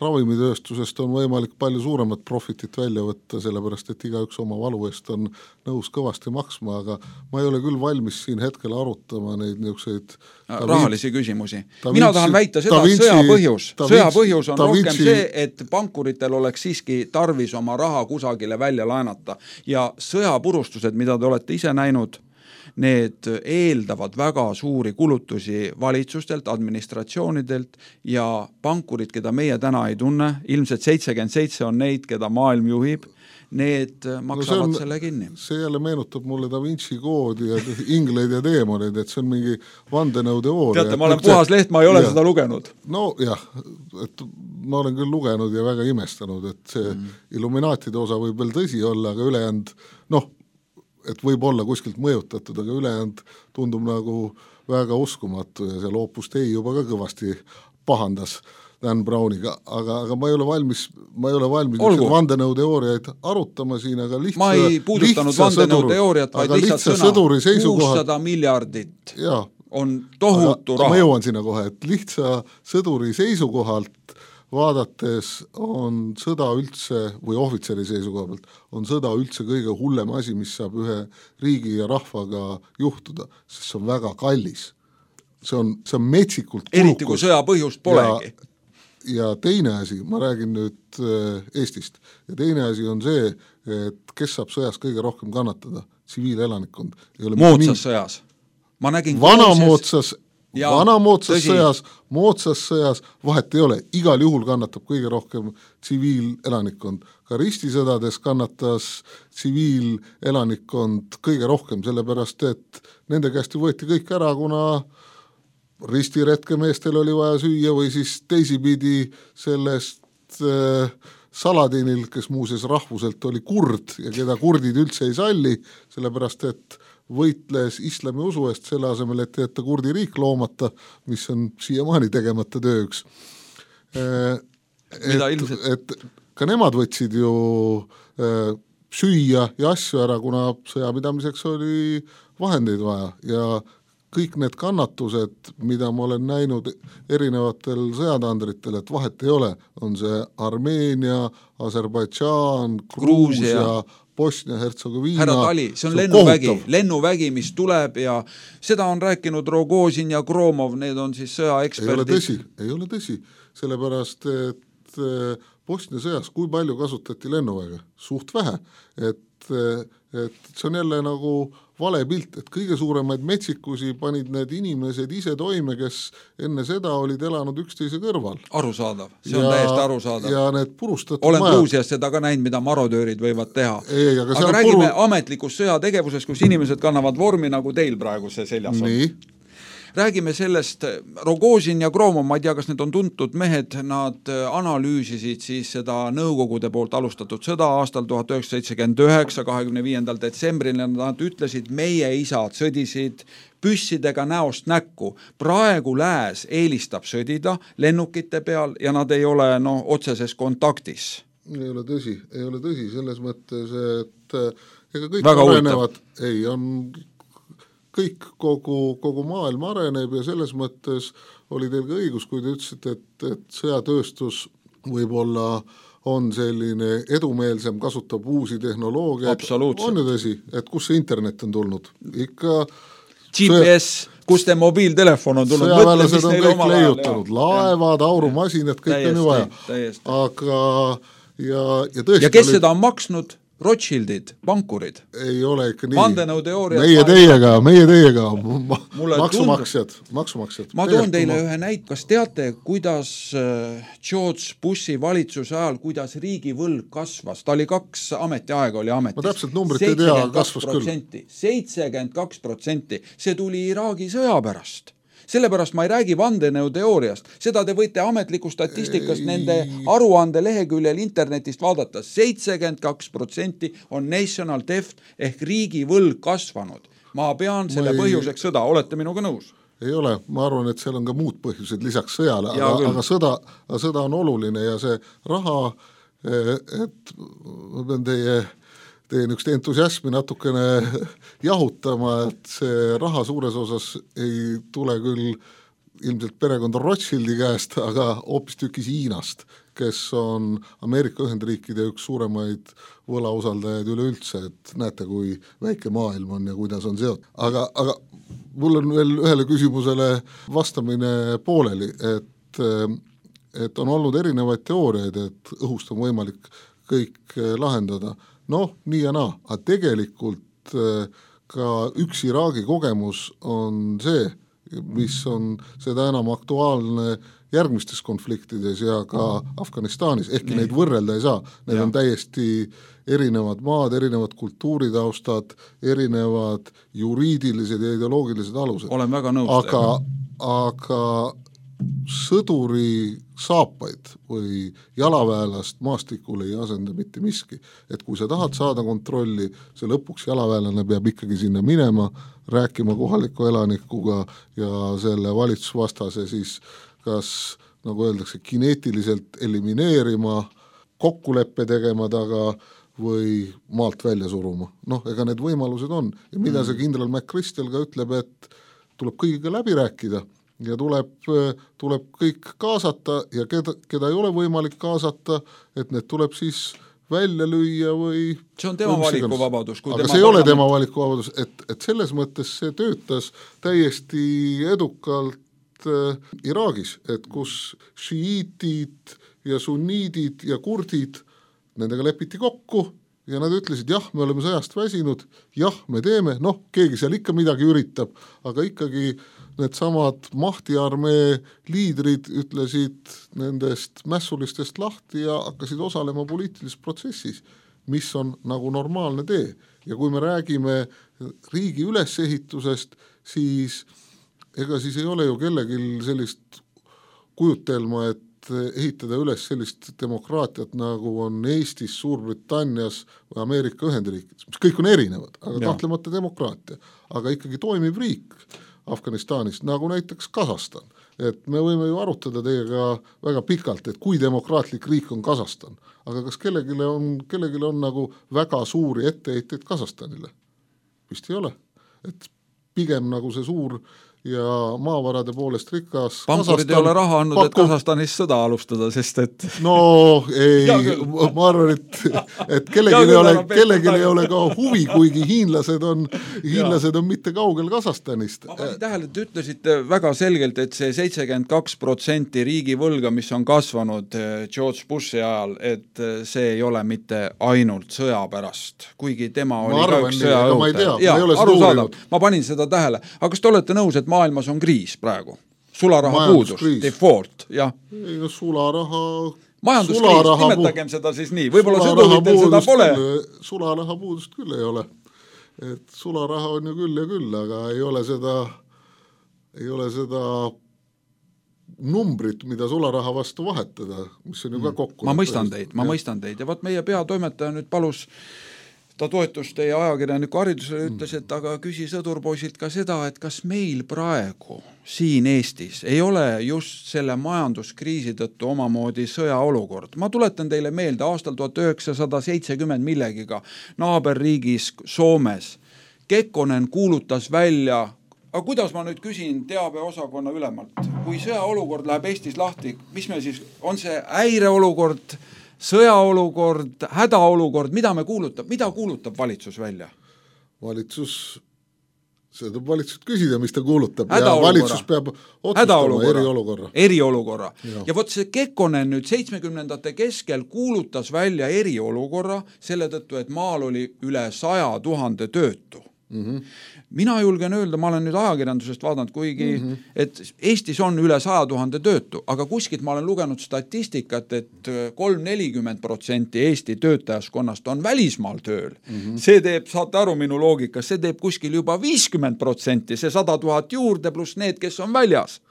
ravimitööstusest on võimalik palju suuremat profitit välja võtta, sellepärast, et igaüks oma valu eest on nõus kõvasti maksma, aga ma ei ole küll valmis siin hetkel arutama neid niisuguseid rahalisi küsimusi. Mina tahan väita seda, et sõja põhjus on rohkem see, et pankuritel oleks siiski tarvis oma raha kusagile välja laenata ja sõjapurustused, mida te olete ise näinud, need eeldavad väga suuri kulutusi valitsustelt, administratsioonidelt ja pankurid, keda meie täna ei tunne, ilmselt 77 on neid, keda maailm juhib, need maksavad selle kinni. See jälle meenutab mulle Da Vinci koodi ja ingleid ja teemoneid, et see on mingi vandenõuteooria. Teate, ma olen puhas leht, ma ei ole seda lugenud. No jah, et ma olen küll lugenud ja väga imestanud, et see Illuminaatide osa võib veel tõsi olla, aga ülejäänud, et võib olla kuskilt mõjutatud, aga ülejäänud tundub nagu väga uskumatu ja seal Opus Dei juba ka kõvasti pahandas Dan Browniga, aga ma ei ole valmis vandenõuteooriaid arutama siin, aga ma ei puudutanud vandenõuteooriat, vaid lihtsalt sõna 600 miljardit on tohutu raha. Ma jõuan sinna kohe, et lihtsa sõduri seisukohalt vaadates on sõda üldse, või ohvitseri seisukoha pealt, on sõda üldse kõige hullem asi, mis saab ühe riigi ja rahvaga juhtuda, sest see on väga kallis. See on metsikult kulukus. Eriti kui sõja põhjust polegi. Ja teine asi, ma räägin nüüd Eestist, ja teine asi on see, et kes saab sõjas kõige rohkem kannatada? Tsiviilelanikkond. Moodsas sõjas. Ma nägin moodsas sõjas vahet ei ole, igal juhul kannatab kõige rohkem tsiviilelanikkond. Ka ristisõdades kannatas tsiviilelanikkond kõige rohkem, sellepärast et nende käest võeti kõik ära, kuna ristiretkemeestel oli vaja süüa või siis teisipidi sellest Saladinil, kes muuseas rahvuselt oli kurd ja keda kurdid üldse ei salli, sellepärast et võitles islami usu eest selle asemel, et jätta kurdi riik loomata, mis on siiamaani tegemata tööks. Et ka nemad võtsid ju süüa ja asju ära, kuna sõjapidamiseks oli vahendeid vaja ja kõik need kannatused, mida ma olen näinud erinevatel sõjatandritel, et vahet ei ole, on see Armeenia, Aserbaidžaan, Gruusia, Bosnia-Hertsegoviina. Härra Tali, see on lennuvägi, mis tuleb ja seda on rääkinud Rogozin ja Gromov, need on siis sõjaeksperdid. Ei ole tõsi, sellepärast, et Bosnia sõjas, kui palju kasutati lennuväge? Suht vähe, et see on jälle nagu vale pilt, et kõige suuremaid metsikusi panid need inimesed ise toime, kes enne seda olid elanud üksteise kõrval. Arusaadav, see on täiesti arusaadav. Ja need purustatud olen Gruusias seda ka näinud, mida marodöörid võivad teha. Aga räägime ametlikus sõjategevuses, kus inimesed kannavad vormi nagu teil praegu see seljas on. Nii. Räägime sellest, Rogozin ja Gromov, ma ei tea, kas need on tuntud mehed, nad analüüsisid siis seda nõukogude poolt alustatud sõda aastal 1979, 25. detsembril, ja nad ütlesid, meie isad sõdisid püssidega näost näkku. Praegu lääs eelistab sõdida lennukite peal ja nad ei ole otseses kontaktis. Ei ole tõsi, selles mõttes, et ega kõik väga arenevad, kõik kogu maailm areneb ja selles mõttes oli teil ka õigus, kui te ütlesite, et sõjatööstus võib-olla on selline edumeelsem, kasutab uusi tehnoloogiaid. On ju tõsi, et kus see internet on tulnud? Ikka GPS, kus te mobiiltelefon on tulnud? Sõjaväelased on kõik leiutanud, laevad, aurumasinad, kõik on ju vaja. Aga ja tõesti... Ja kes seda on maksnud? Rothschildid, pankurid. Ei ole ikka nii. Vandenõuteooriad. Meie teiega, maksumaksjad. Ma toon teile ühe näit, kas teate, kuidas George Bushi valitsuse ajal, kuidas riigi võlg kasvas? Ta oli 2 ametiaega oli ametis. Ma täpselt numbrit ei tea, kasvas küll. 72%. See tuli Iraagi sõja pärast. Sellepärast ma ei räägi vandenõuteooriast. Seda te võite ametliku statistikast nende aruande leheküljel internetist vaadata. 72% on national debt ehk riigi võlg kasvanud. Ma pean selle põhjuseks sõda. Olete minuga nõus? Ei ole. Ma arvan, et seal on ka muud põhjused lisaks sõjale, aga sõda on oluline ja see raha, et ma pean teie niisugust entusiasmi natukene jahutama, et see raha suures osas ei tule küll ilmselt perekonda Rothschildi käest, aga hoopis tükis Hiinast, kes on Ameerika Ühendriikide üks suuremaid võlausaldajaid üleüldse, et näete, kui väike maailm on ja kuidas on seotud. Aga mul on veel ühele küsimusele vastamine pooleli, et on olnud erinevaid teooriaid, et õhust on võimalik kõik lahendada. Nii ja naa, aga tegelikult ka üks Iraagi kogemus on see, mis on seda enam aktuaalne järgmistes konfliktides ja ka Afganistanis, ehkki neid võrrelda ei saa. Need on täiesti erinevad maad, erinevad kultuuritaustad, erinevad juriidilised ja ideoloogilised alused. Olen väga nõus. Aga sõduri saapaid või jalaväelast maastikul ei asenda mitte miski. Et kui sa tahad saada kontrolli, see lõpuks jalaväelane peab ikkagi sinna minema, rääkima kohaliku elanikuga ja selle valitsusvastase siis kas nagu öeldakse, kineetiliselt elimineerima, kokkuleppe tegema taga või maalt välja suruma. Ega need võimalused on. Ja mida see kindral McChrystal ka ütleb, et tuleb kõigiga läbi rääkida ja tuleb kõik kaasata ja keda ei ole võimalik kaasata, et need tuleb siis välja lüüa või... See on tema valikuvabadus. Aga see ei ole tema valikuvabadus, et selles mõttes see töötas täiesti edukalt Iraagis, et kus šiiitid ja sunniidid ja kurdid, nendega lepiti kokku ja nad ütlesid, jah, me oleme sõjast väsinud, jah, me teeme, keegi seal ikka midagi üritab, aga ikkagi need samad mahtiarmee liidrid ütlesid nendest mässulistest lahti ja hakkasid osalema poliitilises protsessis, mis on nagu normaalne tee. Ja kui me räägime riigi ülesehitusest, siis ega siis ei ole ju kellelgi sellist kujutelma, et ehitada üles sellist demokraatiat, nagu on Eestis, Suurbritannias või Ameerika Ühendriikides, mis kõik on erinevad, aga kahtlemata demokraatia, aga ikkagi toimib riik Afganistanis, nagu näiteks Kasahstan. Et me võime ju arutada teiega väga pikalt, et kui demokraatlik riik on Kasahstan, aga kas kellelgi on nagu väga suuri etteheiteid Kasahstanile? Vist ei ole. Et pigem nagu see suur ja maavarade poolest rikas pankurid ei ole raha andnud, et Kasahstanis sõda alustada, sest et... ma arvan, et kellelgi ei ole ka huvi, kuigi hiinlased on mitte kaugel Kasahstanist. Ma panin tähele, et ütlesite väga selgelt, et see 72% riigi võlga, mis on kasvanud George Bushi ajal, et see ei ole mitte ainult sõja pärast, kuigi tema oli ka üks sõjaõhutaja. Ma panin seda tähele. Aga kas te olete nõus, et maailmas on kriis praegu? Sularaha puudus, default, jah. Ei, sularaha... Majanduskriis, nimetagem seda siis nii. Võib-olla sõduritel seda pole. Sularaha puudust küll ei ole. Et sularaha on ju küll ja küll, aga ei ole seda numbrit, mida sularaha vastu vahetada, mis on ju ka kokku. Ma mõistan teid. Ja võt meie peatoimetaja nüüd palus ta toetus teie ajakirjaniku haridusele, ütles, et aga küsi sõdurpoisilt ka seda, et kas meil praegu siin Eestis ei ole just selle majanduskriisi tõttu omamoodi sõjaolukord. Ma tuletan teile meelde aastal 1970 millegiga naaberriigis Soomes. Kekkonen kuulutas välja, aga kuidas ma nüüd küsin teabeosakonna ülemalt, kui sõjaolukord läheb Eestis lahti, mis me siis, on see häireolukord, sõjaolukord, hädaolukord, mida kuulutab valitsus välja? Seda tuleb valitsus küsida, mis ta kuulutab ja valitsus peab otsustama eriolukorra. Ja võt see Kekkonen nüüd 70ndate keskel kuulutas välja eriolukorra selle tõttu, et maal oli üle 100 000 töötu. Mina julgen öelda, ma olen nüüd ajakirjandusest vaadanud, kuigi et Eestis on üle 100 000 töötu, aga kuskilt ma olen lugenud statistikat, et 3-40% Eesti töötajaskonnast on välismaal tööl. See teeb, saate aru minu loogikas, see teeb kuskil juba 50%, see 100 000 juurde pluss need, kes on väljas.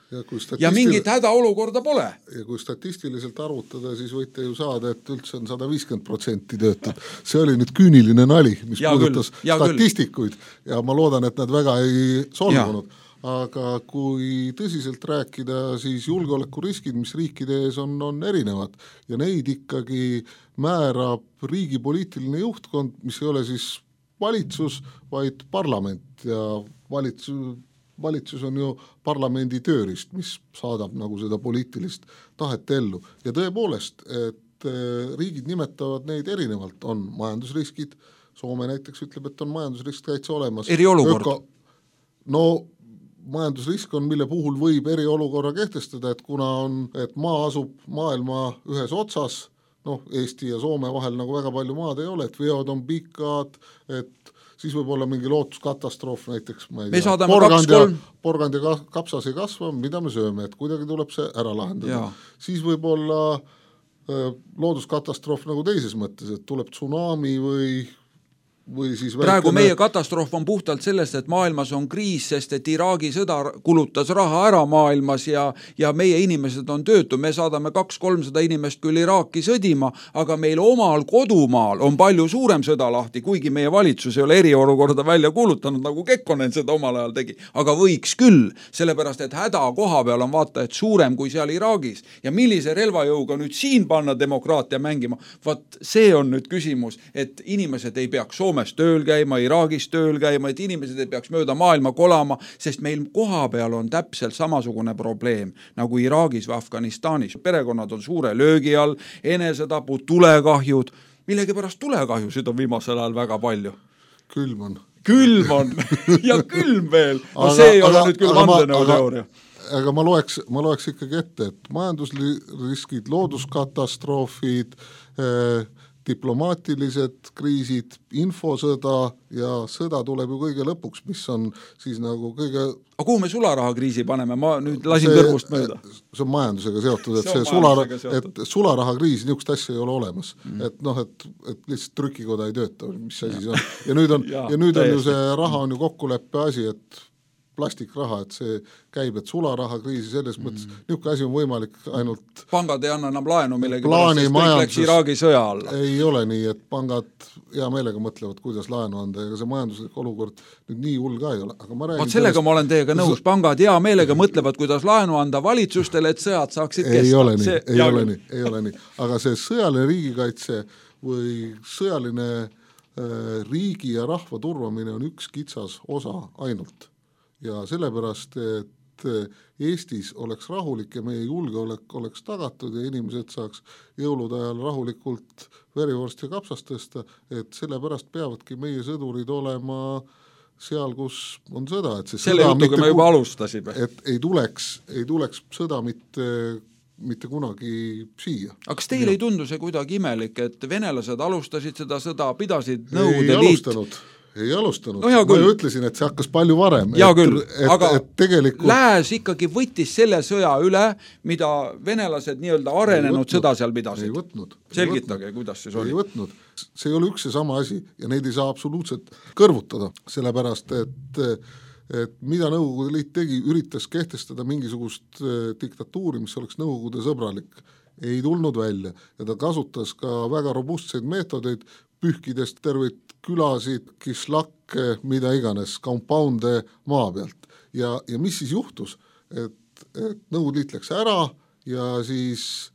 Ja mingit hädaolukorda pole. Ja kui statistiliselt arvutada, siis võite ju saada, et üldse on 150% töötud. See oli nüüd küüniline nali, mis puudutas statistikuid ja ma loodan, et nad väga ei solvunud. Aga kui tõsiselt rääkida, siis julgeolekuriskid, mis riikide ees on erinevad ja neid ikkagi määrab riigi poliitiline juhtkond, mis ei ole siis valitsus, vaid parlament ja valitsus on ju parlamendi tööriist, mis saadab nagu seda poliitilist tahet ellu. Ja tõepoolest, et riigid nimetavad neid erinevalt, on majandusriskid, Soome näiteks ütleb, et on majandusrisk täitsa olemas. Eriolukord? Majandusrisk on, mille puhul võib eriolukorra kehtestada, et kuna et maa asub maailma ühes otsas, Eesti ja Soome vahel nagu väga palju maad ei ole, et veod on pikad, et siis võib olla mingi lootuskatastroof näiteks, ma ei tea, porgand ja kapsas ei kasva, mida me sööme, et kuidagi tuleb see ära lahendada. Siis võib olla looduskatastroof nagu teises mõttes, et tuleb tsunami või või siis praegu meie katastroof on puhtalt sellest, et maailmas on kriis, sest et Iraagi sõda kulutas raha ära maailmas ja meie inimesed on töötu. Me saadame 200-300 inimest küll Iraaki sõdima, aga meil omal kodumaal on palju suurem sõda lahti, kuigi meie valitsus ei ole eriolukorda välja kuulutanud, nagu Kekkonen seda omal ajal tegi. Aga võiks küll, sellepärast et häda koha peal on vaata, et suurem kui seal Iraagis. Ja millise relvajõuga nüüd siin panna demokraatia mängima? Vaat see on nüüd küsimus, et inimesed ei peaks Soomes tööl käima, Iraagis tööl käima, et inimesed ei peaks mööda maailma kolama, sest meil koha peal on täpselt samasugune probleem nagu Iraagis või Afganistanis. Perekonnad on suure löögi all, enesetapud, tulekahjud. Millegipärast tulekahjusid on viimasel ajal väga palju. Külm on ja külm veel. No see ei ole nüüd küll vandenõuteooria. Aga ma loeks ikkagi ette, et majandusriskid, looduskatastroofid, diplomaatilised kriisid, infosõda ja sõda tuleb ju kõige lõpuks, mis on siis nagu kõige... Aga kuhu me sularahakriisi paneme? Ma nüüd lasin kõrvust mööda. See on majandusega seotud, et sularahakriisi niisugust asja ei ole olemas. Et lihtsalt trükikoda ei tööta, mis asi see on. Ja nüüd on ju see raha on ju kokkuleppe asi, et plastikraha, et see käib, et sularahakriisi selles mõttes, niisugune asi on võimalik ainult... Pangad ei anna enam laenu millegi pärast, sest kõik läks Iraagi sõja alla. Ei ole nii, et pangad hea meelega mõtlevad, kuidas laenu anda, ega see majanduslik olukord nüüd nii hull ka ei ole. Aga ma räägin sellega ma olen teiega nõus, pangad hea meelega mõtlevad, kuidas laenu anda valitsustele, et sõjad saaksid kesta. Ei ole nii. Aga see sõjaline riigikaitse või sõjaline riigi ja rahva turvamine on üks kitsas osa ainult. Ja sellepärast, et Eestis oleks rahulik ja meie julgeolek oleks tagatud ja inimesed saaks jõulude ajal rahulikult verivorst ja kapsast tõsta, et sellepärast peavadki meie sõdurid olema seal, kus on sõda. Et selle jutuga me juba alustasime. Et ei tuleks sõda mitte kunagi siia. Aga kas teile ei tundu see kuidagi imelik, et venelased alustasid seda sõda, pidasid Nõukogude Liit... Ei alustanud. No, ma ju ütlesin, et see hakkas palju varem. Ja küll, aga tegelikult... Lääs ikkagi võttis selle sõja üle, mida venelased nii-öelda arenenud sõda seal pidasid. Ei võtnud. Selgitage, kuidas siis oli. Ei võtnud. See ei ole üks ja sama asi ja neid ei saa absoluutselt kõrvutada, sellepärast, et mida Nõukogude Liit tegi, üritas kehtestada mingisugust diktatuuri, mis oleks Nõukogude sõbralik. Ei tulnud välja ja ta kasutas ka väga robustseid meetodeid, pühkidest terveid külasid, kislakke, mida iganes, compounde maa pealt. Ja mis siis juhtus? Et Nõukogude Liit läks ära ja siis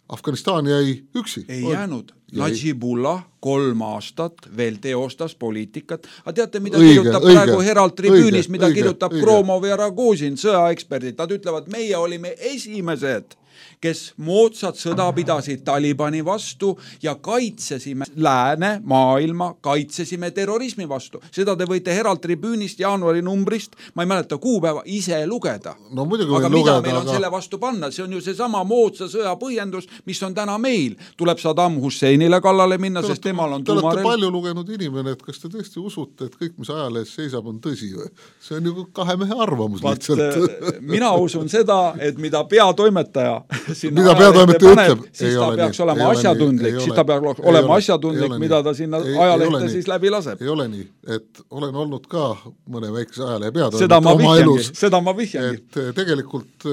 Afganistan jäi üksi. Ei jäänud. Najibullah 3 aastat veel teostas poliitikat. Aga teate, mida kirjutab praegu Herald Tribune'is, mida kirjutab Kromov ja Ragozin, sõjaeksperdid. Nad ütlevad, meie olime esimesed, kes moodsat sõda pidasid Talibani vastu ja kaitsesime lääne maailma, kaitsesime terrorismi vastu. Seda te võite Herald Tribune'ist jaanuari numbrist, ma ei mäleta kuupäeva, ise lugeda. No, aga mida meil on selle vastu panna? See on ju see sama moodsa sõja põhjendus, mis on täna meil. Tuleb Saddam Husseinile kallale minna, sest temal on tuumarelv. Te olete palju lugenud inimene, et kas te tõesti usute, et kõik, mis ajalehes seisab, on tõsi või? See on ju kahe mehe arvamus lihtsalt. Mina usun seda, et mida peatoimetaja mida peatoimetaja ütleb, siis ta peaks olema asjatundlik, siis ta peaks olema asjatundlik, mida ta sinna ajalehte siis läbi laseb. Ei ole nii, et olen olnud ka mõne väikese ajalehe peatoimetaja seda ma vihjangi. Et tegelikult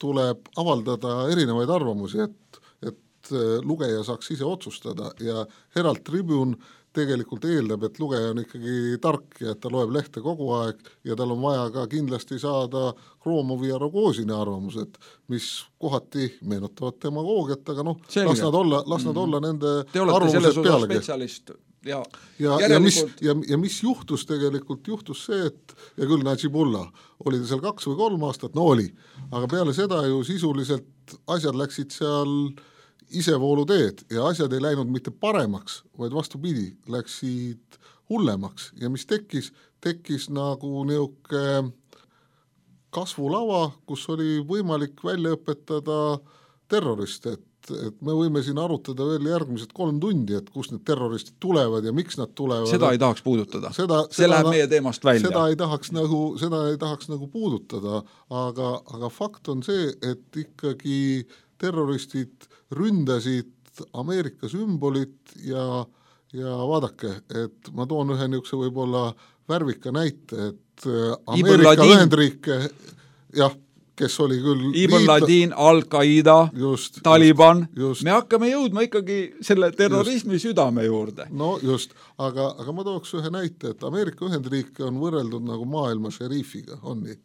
tuleb avaldada erinevaid arvamusi, et lugeja saaks ise otsustada ja Herald Tribune tegelikult eeldab, et lugeja on ikkagi tark ja et ta loeb lehte kogu aeg ja tal on vaja ka kindlasti saada Kromovi ja Rogozini arvamused, mis kohati meenutavad demagoogiat, aga las nad olla nende arvamused pealegi. Ja mis juhtus tegelikult, juhtus see, et ja küll Najibullah oli ta seal 2 või 3 aastat, oli, aga peale seda ju sisuliselt asjad läksid seal isevoolu teed ja asjad ei läinud mitte paremaks, vaid vastupidi, läksid hullemaks ja mis tekkis nagu niisugune kasvulava, kus oli võimalik välja õpetada terroriste, et me võime siin arutada veel järgmised 3 tundi, et kust need terroristid tulevad ja miks nad tulevad. Seda ei tahaks puudutada. See läheb meie teemast välja. Seda ei tahaks nagu puudutada, aga fakt on see, et ikkagi terroristid ründasid Ameerika sümbolit ja ja vaadake, et ma toon ühe niisuguse võib-olla värvika näite, et Ameerika Ühendriike, jah, kes oli küll Ibn Ladin, Al-Qaeda, Taliban, me hakkame jõudma ikkagi selle terrorismi südame juurde. No just, aga ma tooks ühe näite, et Ameerika Ühendriike on võrreldud nagu maailma šeriifiga, on nii?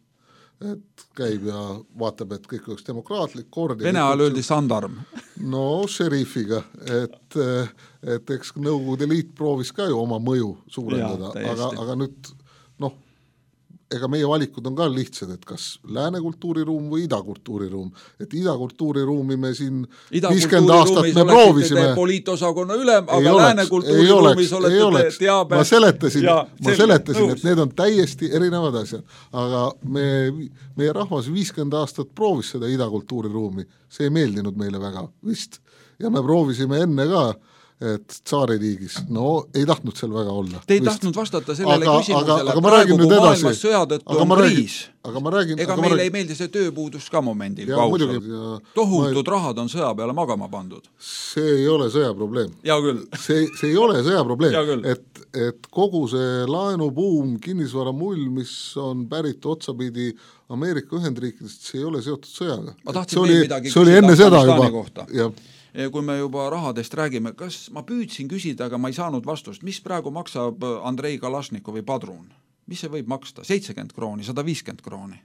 Et käib ja vaatab, et kõik oleks demokraatlik kord. Vene ajal öeldi sandarm. No šerifiga, et eks Nõukogude Liit proovis ka ju oma mõju suurendada, aga nüüd ega meie valikud on ka lihtsad, et kas lääne kultuuriruum või ida kultuuriruum. Et ida kultuuriruumi me siin 50 aastat me proovisime. Poliitosakonna ülem, aga lääne kultuuriruumis olete teabe. Ma seletasin, et need on täiesti erinevad asjad. Aga meie rahvas 50 aastat proovis seda ida kultuuriruumi. See ei meeldinud meile väga vist. Ja me proovisime enne ka, et Tsaaririigis, ei tahtnud seal väga olla. Te ei tahtnud vastata sellele küsimusele, praegu kui maailmas sõjadõttu on kriis. Ega meile ei meeldi see tööpuudus ka momendil kausal. Tohutud rahad on sõja peale magama pandud. See ei ole sõjaprobleem. Ja küll. See ei ole sõjaprobleem, et kogu see laenubuum, kinnisvara mull, mis on pärit otsapidi Ameerika Ühendriikidest, see ei ole seotud sõjaga. Ma tahtsin veel midagi küsida Afganistani kohta. Kui me juba rahadest räägime, kas ma püüdsin küsida, aga ma ei saanud vastust, mis praegu maksab Andrei Kalašnikovi padrun? Mis see võib maksta? 70 krooni, 150 krooni?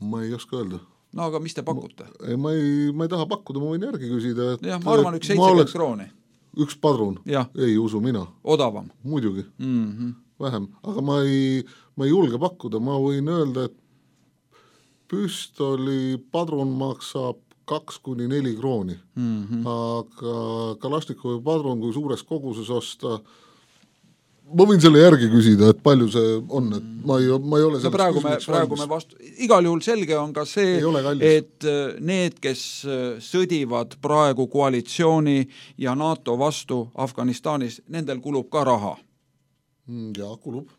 Ma ei oska öelda. No aga mis te pakute? Ma ei taha pakkuda, ma võin järgi küsida. Jah, ma arvan üks 70 krooni. Üks padrun? Ei usu mina. Odavam? Muidugi. Vähem. Aga ma ei julge pakkuda. Ma võin öelda, et püstoli padrun maksab 2-4 krooni. Aga Kalašnikovi padrun, kui suures koguses osta, ma võin selle järgi küsida, et palju see on, et ma ei ole praegu me vastu. Igal juhul selge on ka see, et need, kes sõdivad praegu koalitsiooni ja NATO vastu Afganistanis, nendel kulub ka raha. Ja, kulub.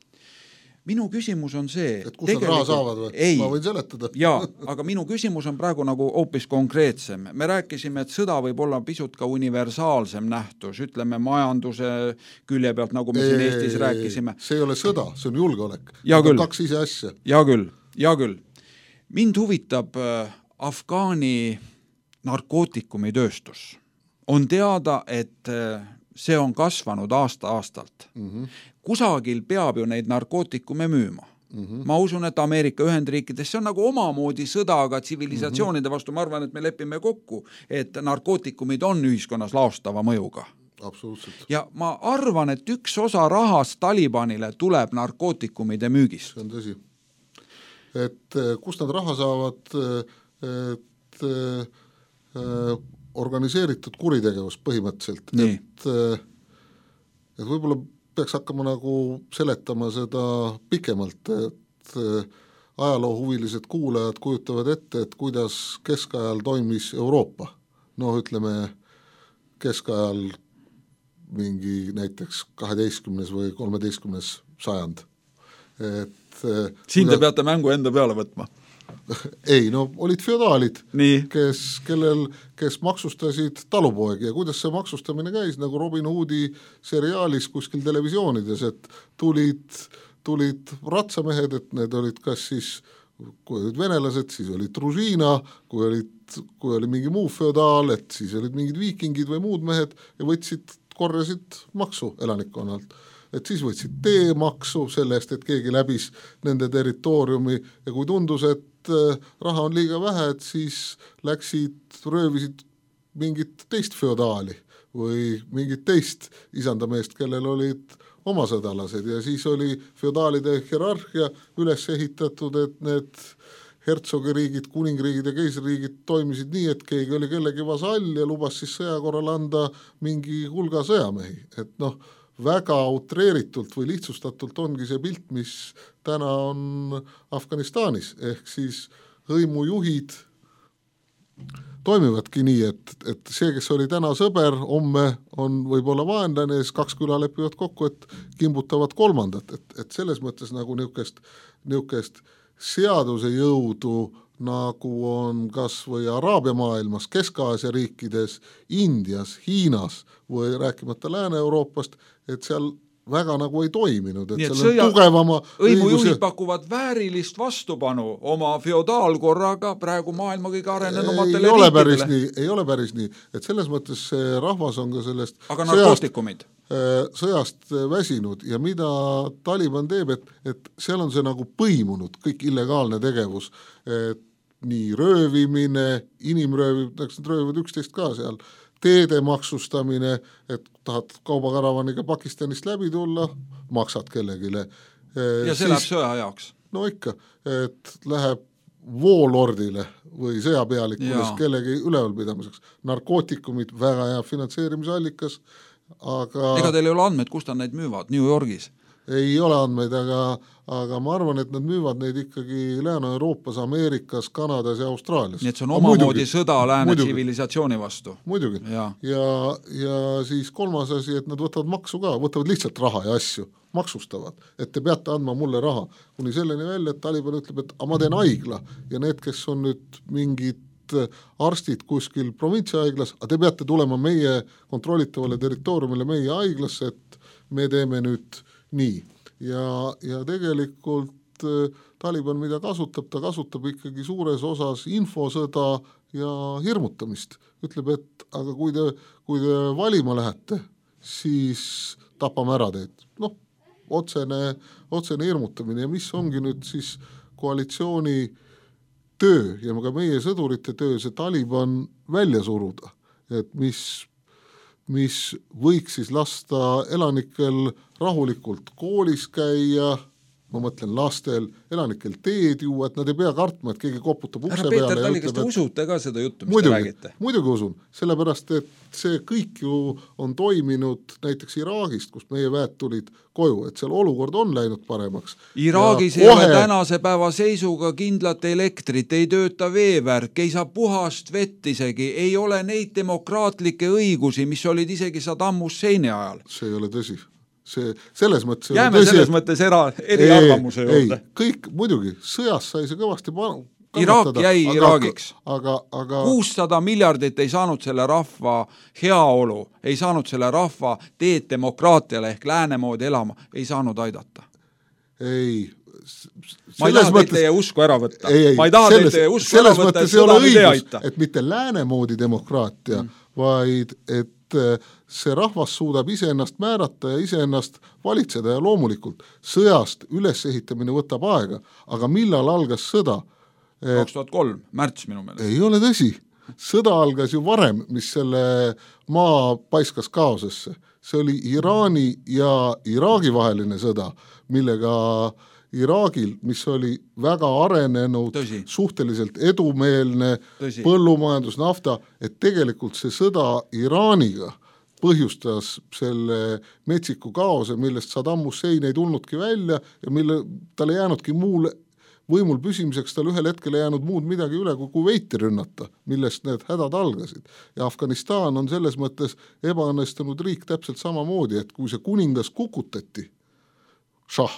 Minu küsimus on see... Et kus nad raha saavad või? Ma võin seletada. Jaa, aga minu küsimus on praegu nagu hoopis konkreetsem. Me rääkisime, et sõda võib olla pisut ka universaalsem nähtus, ütleme majanduse külje pealt, nagu me siin Eestis rääkisime. See ei ole sõda, see on julgeolek. Kaks ise asja. Ja küll. Mind huvitab Afgaani narkootikumitööstus. On teada, et see on kasvanud aasta-aastalt. Kusagil peab ju neid narkootikume müüma. Ma usun, et Ameerika Ühendriikides see on nagu omamoodi sõda, aga tsivilisatsioonide vastu ma arvan, et me lepime kokku, et narkootikumid on ühiskonnas laostava mõjuga. Absoluutselt. Ja ma arvan, et üks osa rahast Talibanile tuleb narkootikumide müügist. See on tõsi. Et kust nad raha saavad, et organiseeritud kuritegevus põhimõtteliselt. Et võib-olla peaks hakkama nagu seletama seda pikemalt, et ajaloohuvilised kuulajad kujutavad ette, et kuidas keskajal toimis Euroopa. Ütleme keskajal mingi näiteks 12. või 13. sajand. Siin te peate mängu enda peale võtma. Ei, olid feodaalid, kes maksustasid talupoegi ja kuidas see maksustamine käis, nagu Robin Hoodi seriaalis kuskil televisioonides, et tulid ratsamehed, et need olid kas siis, kui olid venelased, siis olid družiina, kui oli mingi muu feodaal, et siis olid mingid viikingid või muud mehed ja korjasid maksu elanikkonnalt. Et siis võtsid teemaksu selle eest, et keegi läbis nende territooriumi ja kui tundus, et raha on liiga vähe, et siis röövisid mingit teist feodaali või mingit teist isandameest, kellel olid oma sõdalased ja siis oli feodaalide hierarhia üles ehitatud, et need hertsogiriigid, kuningriigid ja keisririigid toimisid nii, et keegi oli kellegi vasall ja lubas siis sõja korral anda mingi hulga sõjamehi, et väga utreeritult või lihtsustatult ongi see pilt, mis täna on Afganistanis, ehk siis hõimujuhid toimivadki nii, et see, kes oli täna sõber, homme on võib-olla vaenlane ja siis 2 küla lepivad kokku, et kimbutavad kolmandat, et selles mõttes nagu niukest seaduse jõudu nagu on kas või Araabia maailmas, Kesk-Aasia riikides, Indias, Hiinas või rääkimata Lääne-Euroopast, et seal väga nagu ei toiminud, et seal on tugevama õimujuhid pakuvad väärilist vastupanu oma feodaalkorraga praegu maailma kõige arenenumatele riikidele. Ei ole päris nii, et selles mõttes see rahvas on ka sellest aga narkootikumid sõjast väsinud ja mida Taliban teeb, et seal on see nagu põimunud kõik illegaalne tegevus, et nii röövimine, inimröövid röövivad üksteist ka seal, teede maksustamine, et tahad kaubakaravaaniga Pakistanist läbi tulla, maksad kellegile. Ja see läheb sõja jaoks. No ikka, et läheb voolordile või sõjapealikulis kellegi ülevalpidamiseks. Narkootikumid, väga hea finantseerimisallikas, aga ega teil ei ole andmeid, kust nad neid müüvad? New Yorgis? Ei ole andmeid, aga ma arvan, et nad müüvad neid ikkagi Lääne-Euroopas, Ameerikas, Kanadas ja Austraalias. Nii et see on omamoodi sõda lääne tsivilisatsiooni vastu. Muidugi. Ja siis kolmas asi, et nad võtavad maksu ka, võtavad lihtsalt raha ja asju, maksustavad, et te peate andma mulle raha. Kuni selleni välja, et Taliban ütleb, et ma teen haigla ja need, kes on nüüd mingid arstid kuskil provintsihaiglas, aga te peate tulema meie kontrollitavale territooriumile meie haiglasse, et me teeme nüüd nii. Ja tegelikult Taliban, mida kasutab, ta kasutab ikkagi suures osas infosõda ja hirmutamist. Ütleb, et aga kui te valima lähete, siis tapame ära teid. Noh, otsene hirmutamine ja mis ongi nüüd siis koalitsiooni töö ja ka meie sõdurite töö see Taliban välja suruda, et mis võiks siis lasta elanikel rahulikult koolis käia, ma mõtlen lastel, elanikel teed juua, et nad ei pea kartma, et keegi koputab ukse peale. Peeter Tali, kas te usute ka seda juttu, mis te räägite? Muidugi usun, sellepärast, et see kõik ju on toiminud näiteks Iraagist, kust meie väed tulid koju, et seal olukord on läinud paremaks. Iraagis ei ole tänase päeva seisuga kindlat elektrit, ei tööta veevärk, ei saa puhast vett isegi, ei ole neid demokraatlikke õigusi, mis olid isegi Saddam Husseini ajal. See ei ole tõsi. Selles mõttes jääme selles mõttes eriarvamuse juurde. Kõik muidugi, sõjas sai see kõvasti Iraak jäi Iraagiks. Aga 600 miljardit ei saanud selle rahva heaolu, ei saanud selle rahva teed demokraatiale ehk lääne moodi elama, ei saanud aidata. Ei. Ma ei taha teilt teie usku ära võtta. Ma ei taha teilt teie usku ära võtta, et seda ei aita. Et mitte lääne moodi demokraatia, vaid et see rahvas suudab iseennast määrata ja iseennast valitseda ja loomulikult sõjast ülesehitamine võtab aega, aga millal algas sõda? 2003, märts minu meelest. Ei ole tõsi. Sõda algas ju varem, mis selle maa paiskas kaosesse. See oli Iraani ja Iraagi vaheline sõda, millega Iraagil, mis oli väga arenenud, suhteliselt edumeelne põllumajandus, nafta, et tegelikult see sõda Iraaniga põhjustas selle metsiku kaose, millest Saddam Hussein ei tulnudki välja ja mille tal ei jäänudki muul võimul püsimiseks, tal ühel hetkel ei jäänud muud midagi üle kui Kuveiti rünnata, millest need hädad algasid. Ja Afganistan on selles mõttes ebaõnnestunud riik täpselt samamoodi, et kui see kuningas kukutati, šah,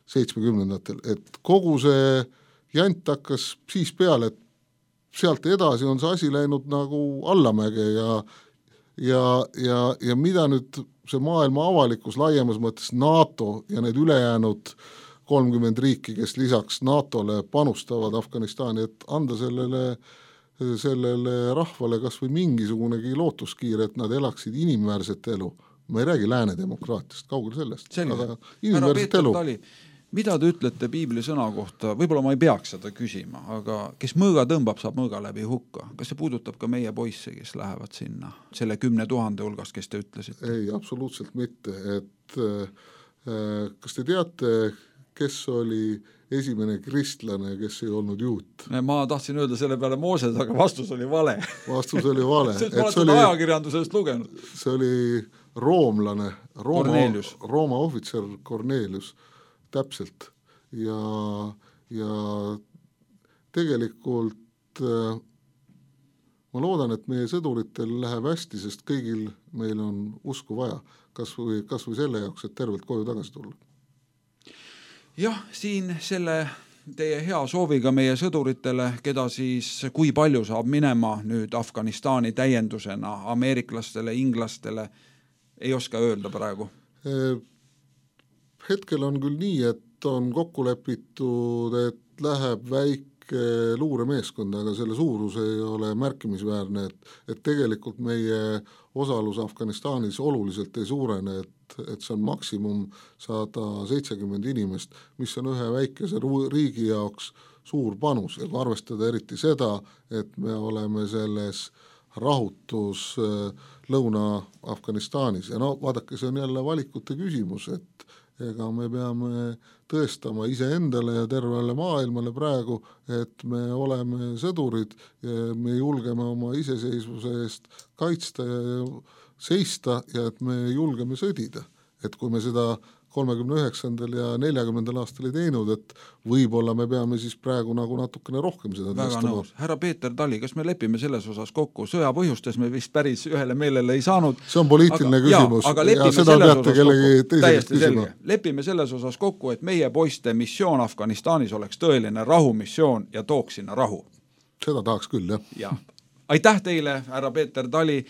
70-ndatel, et kogu see jant hakkas siis peale, et sealt edasi on see asi läinud nagu allamäge ja mida nüüd see maailma avalikkus laiemas mõttes NATO ja need ülejäänud 30 riiki, kes lisaks NATO-le panustavad Afganistani, et anda sellele rahvale kas või mingisugunegi lootuskiire, et nad elaksid inimväärset elu. Ma ei räägi lääne demokraatiast, kaugel sellest. Aga inimväärset elu. Mida te ütlete piibli sõna kohta? Võib-olla ma ei peaks seda küsima, aga kes mõõga tõmbab, saab mõõga läbi hukka. Kas see puudutab ka meie poisse, kes lähevad sinna, selle 10 000 hulgast, kes te ütlesite? Ei, absoluutselt mitte. Et, kas te teate, kes oli esimene kristlane, kes ei olnud juut? Ma tahtsin öelda selle peale Mooses, aga vastus oli vale. Vastus oli vale. Ma olen seda ajakirjandusest lugenud. See oli roomlane, Cornelius. Rooma ohvitser Cornelius, täpselt. Ja tegelikult ma loodan, et meie sõduritel läheb hästi, sest kõigil meil on usku vaja, kas või selle jaoks, et tervelt koju tagasi tulla. Jah, siin selle teie hea sooviga meie sõduritele, keda siis kui palju saab minema nüüd Afganistani täiendusena ameeriklastele, inglastele, ei oska öelda praegu? Hetkel on küll nii, et on kokku lepitud, et läheb väike luuremeeskond, aga selle suurus ei ole märkimisväärne, et tegelikult meie osalus Afganistanis oluliselt ei suurene, et see on maksimum 170 inimest, mis on ühe väikese riigi jaoks suur panus ja kui arvestada eriti seda, et me oleme selles rahutus Lõuna-Afganistanis ja vaadake, see on jälle valikute küsimus, et ega me peame tõestama iseendale ja tervele maailmale praegu, et me oleme sõdurid ja me julgeme oma iseseisvuse eest kaitsta ja seista ja et me julgeme sõdida. Et kui me seda 39. ja 40. aastal ei teinud, et võib-olla me peame siis praegu nagu natukene rohkem seda tõestama. Härra Peeter Tali, kas me lepime selles osas kokku? Sõja põhjustes me vist päris ühele meelele ei saanud. See on poliitiline küsimus ja seda peate kellegi teisest küsima. Lepime selles osas kokku, et meie poiste missioon Afganistanis oleks tõeline rahumissioon ja tooks sinna rahu. Seda tahaks küll, jah. Ja. Aitäh teile, härra Peeter Tali,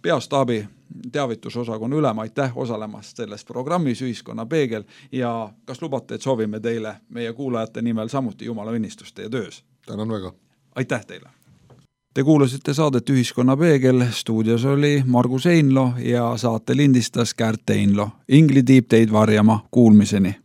peastaabi teavitusosakonna ülem, aitäh osalemast selles programmis Ühiskonna Peegel ja kas lubate, et soovime teile meie kuulajate nimel samuti Jumala õnnistust teie töös? Tänan väga. Aitäh teile. Te kuulasite saadet Ühiskonna Peegel, stuudios oli Margus Einlo ja saate lindistas Kärt Einlo. Ingli tiib teid varjama, kuulmiseni.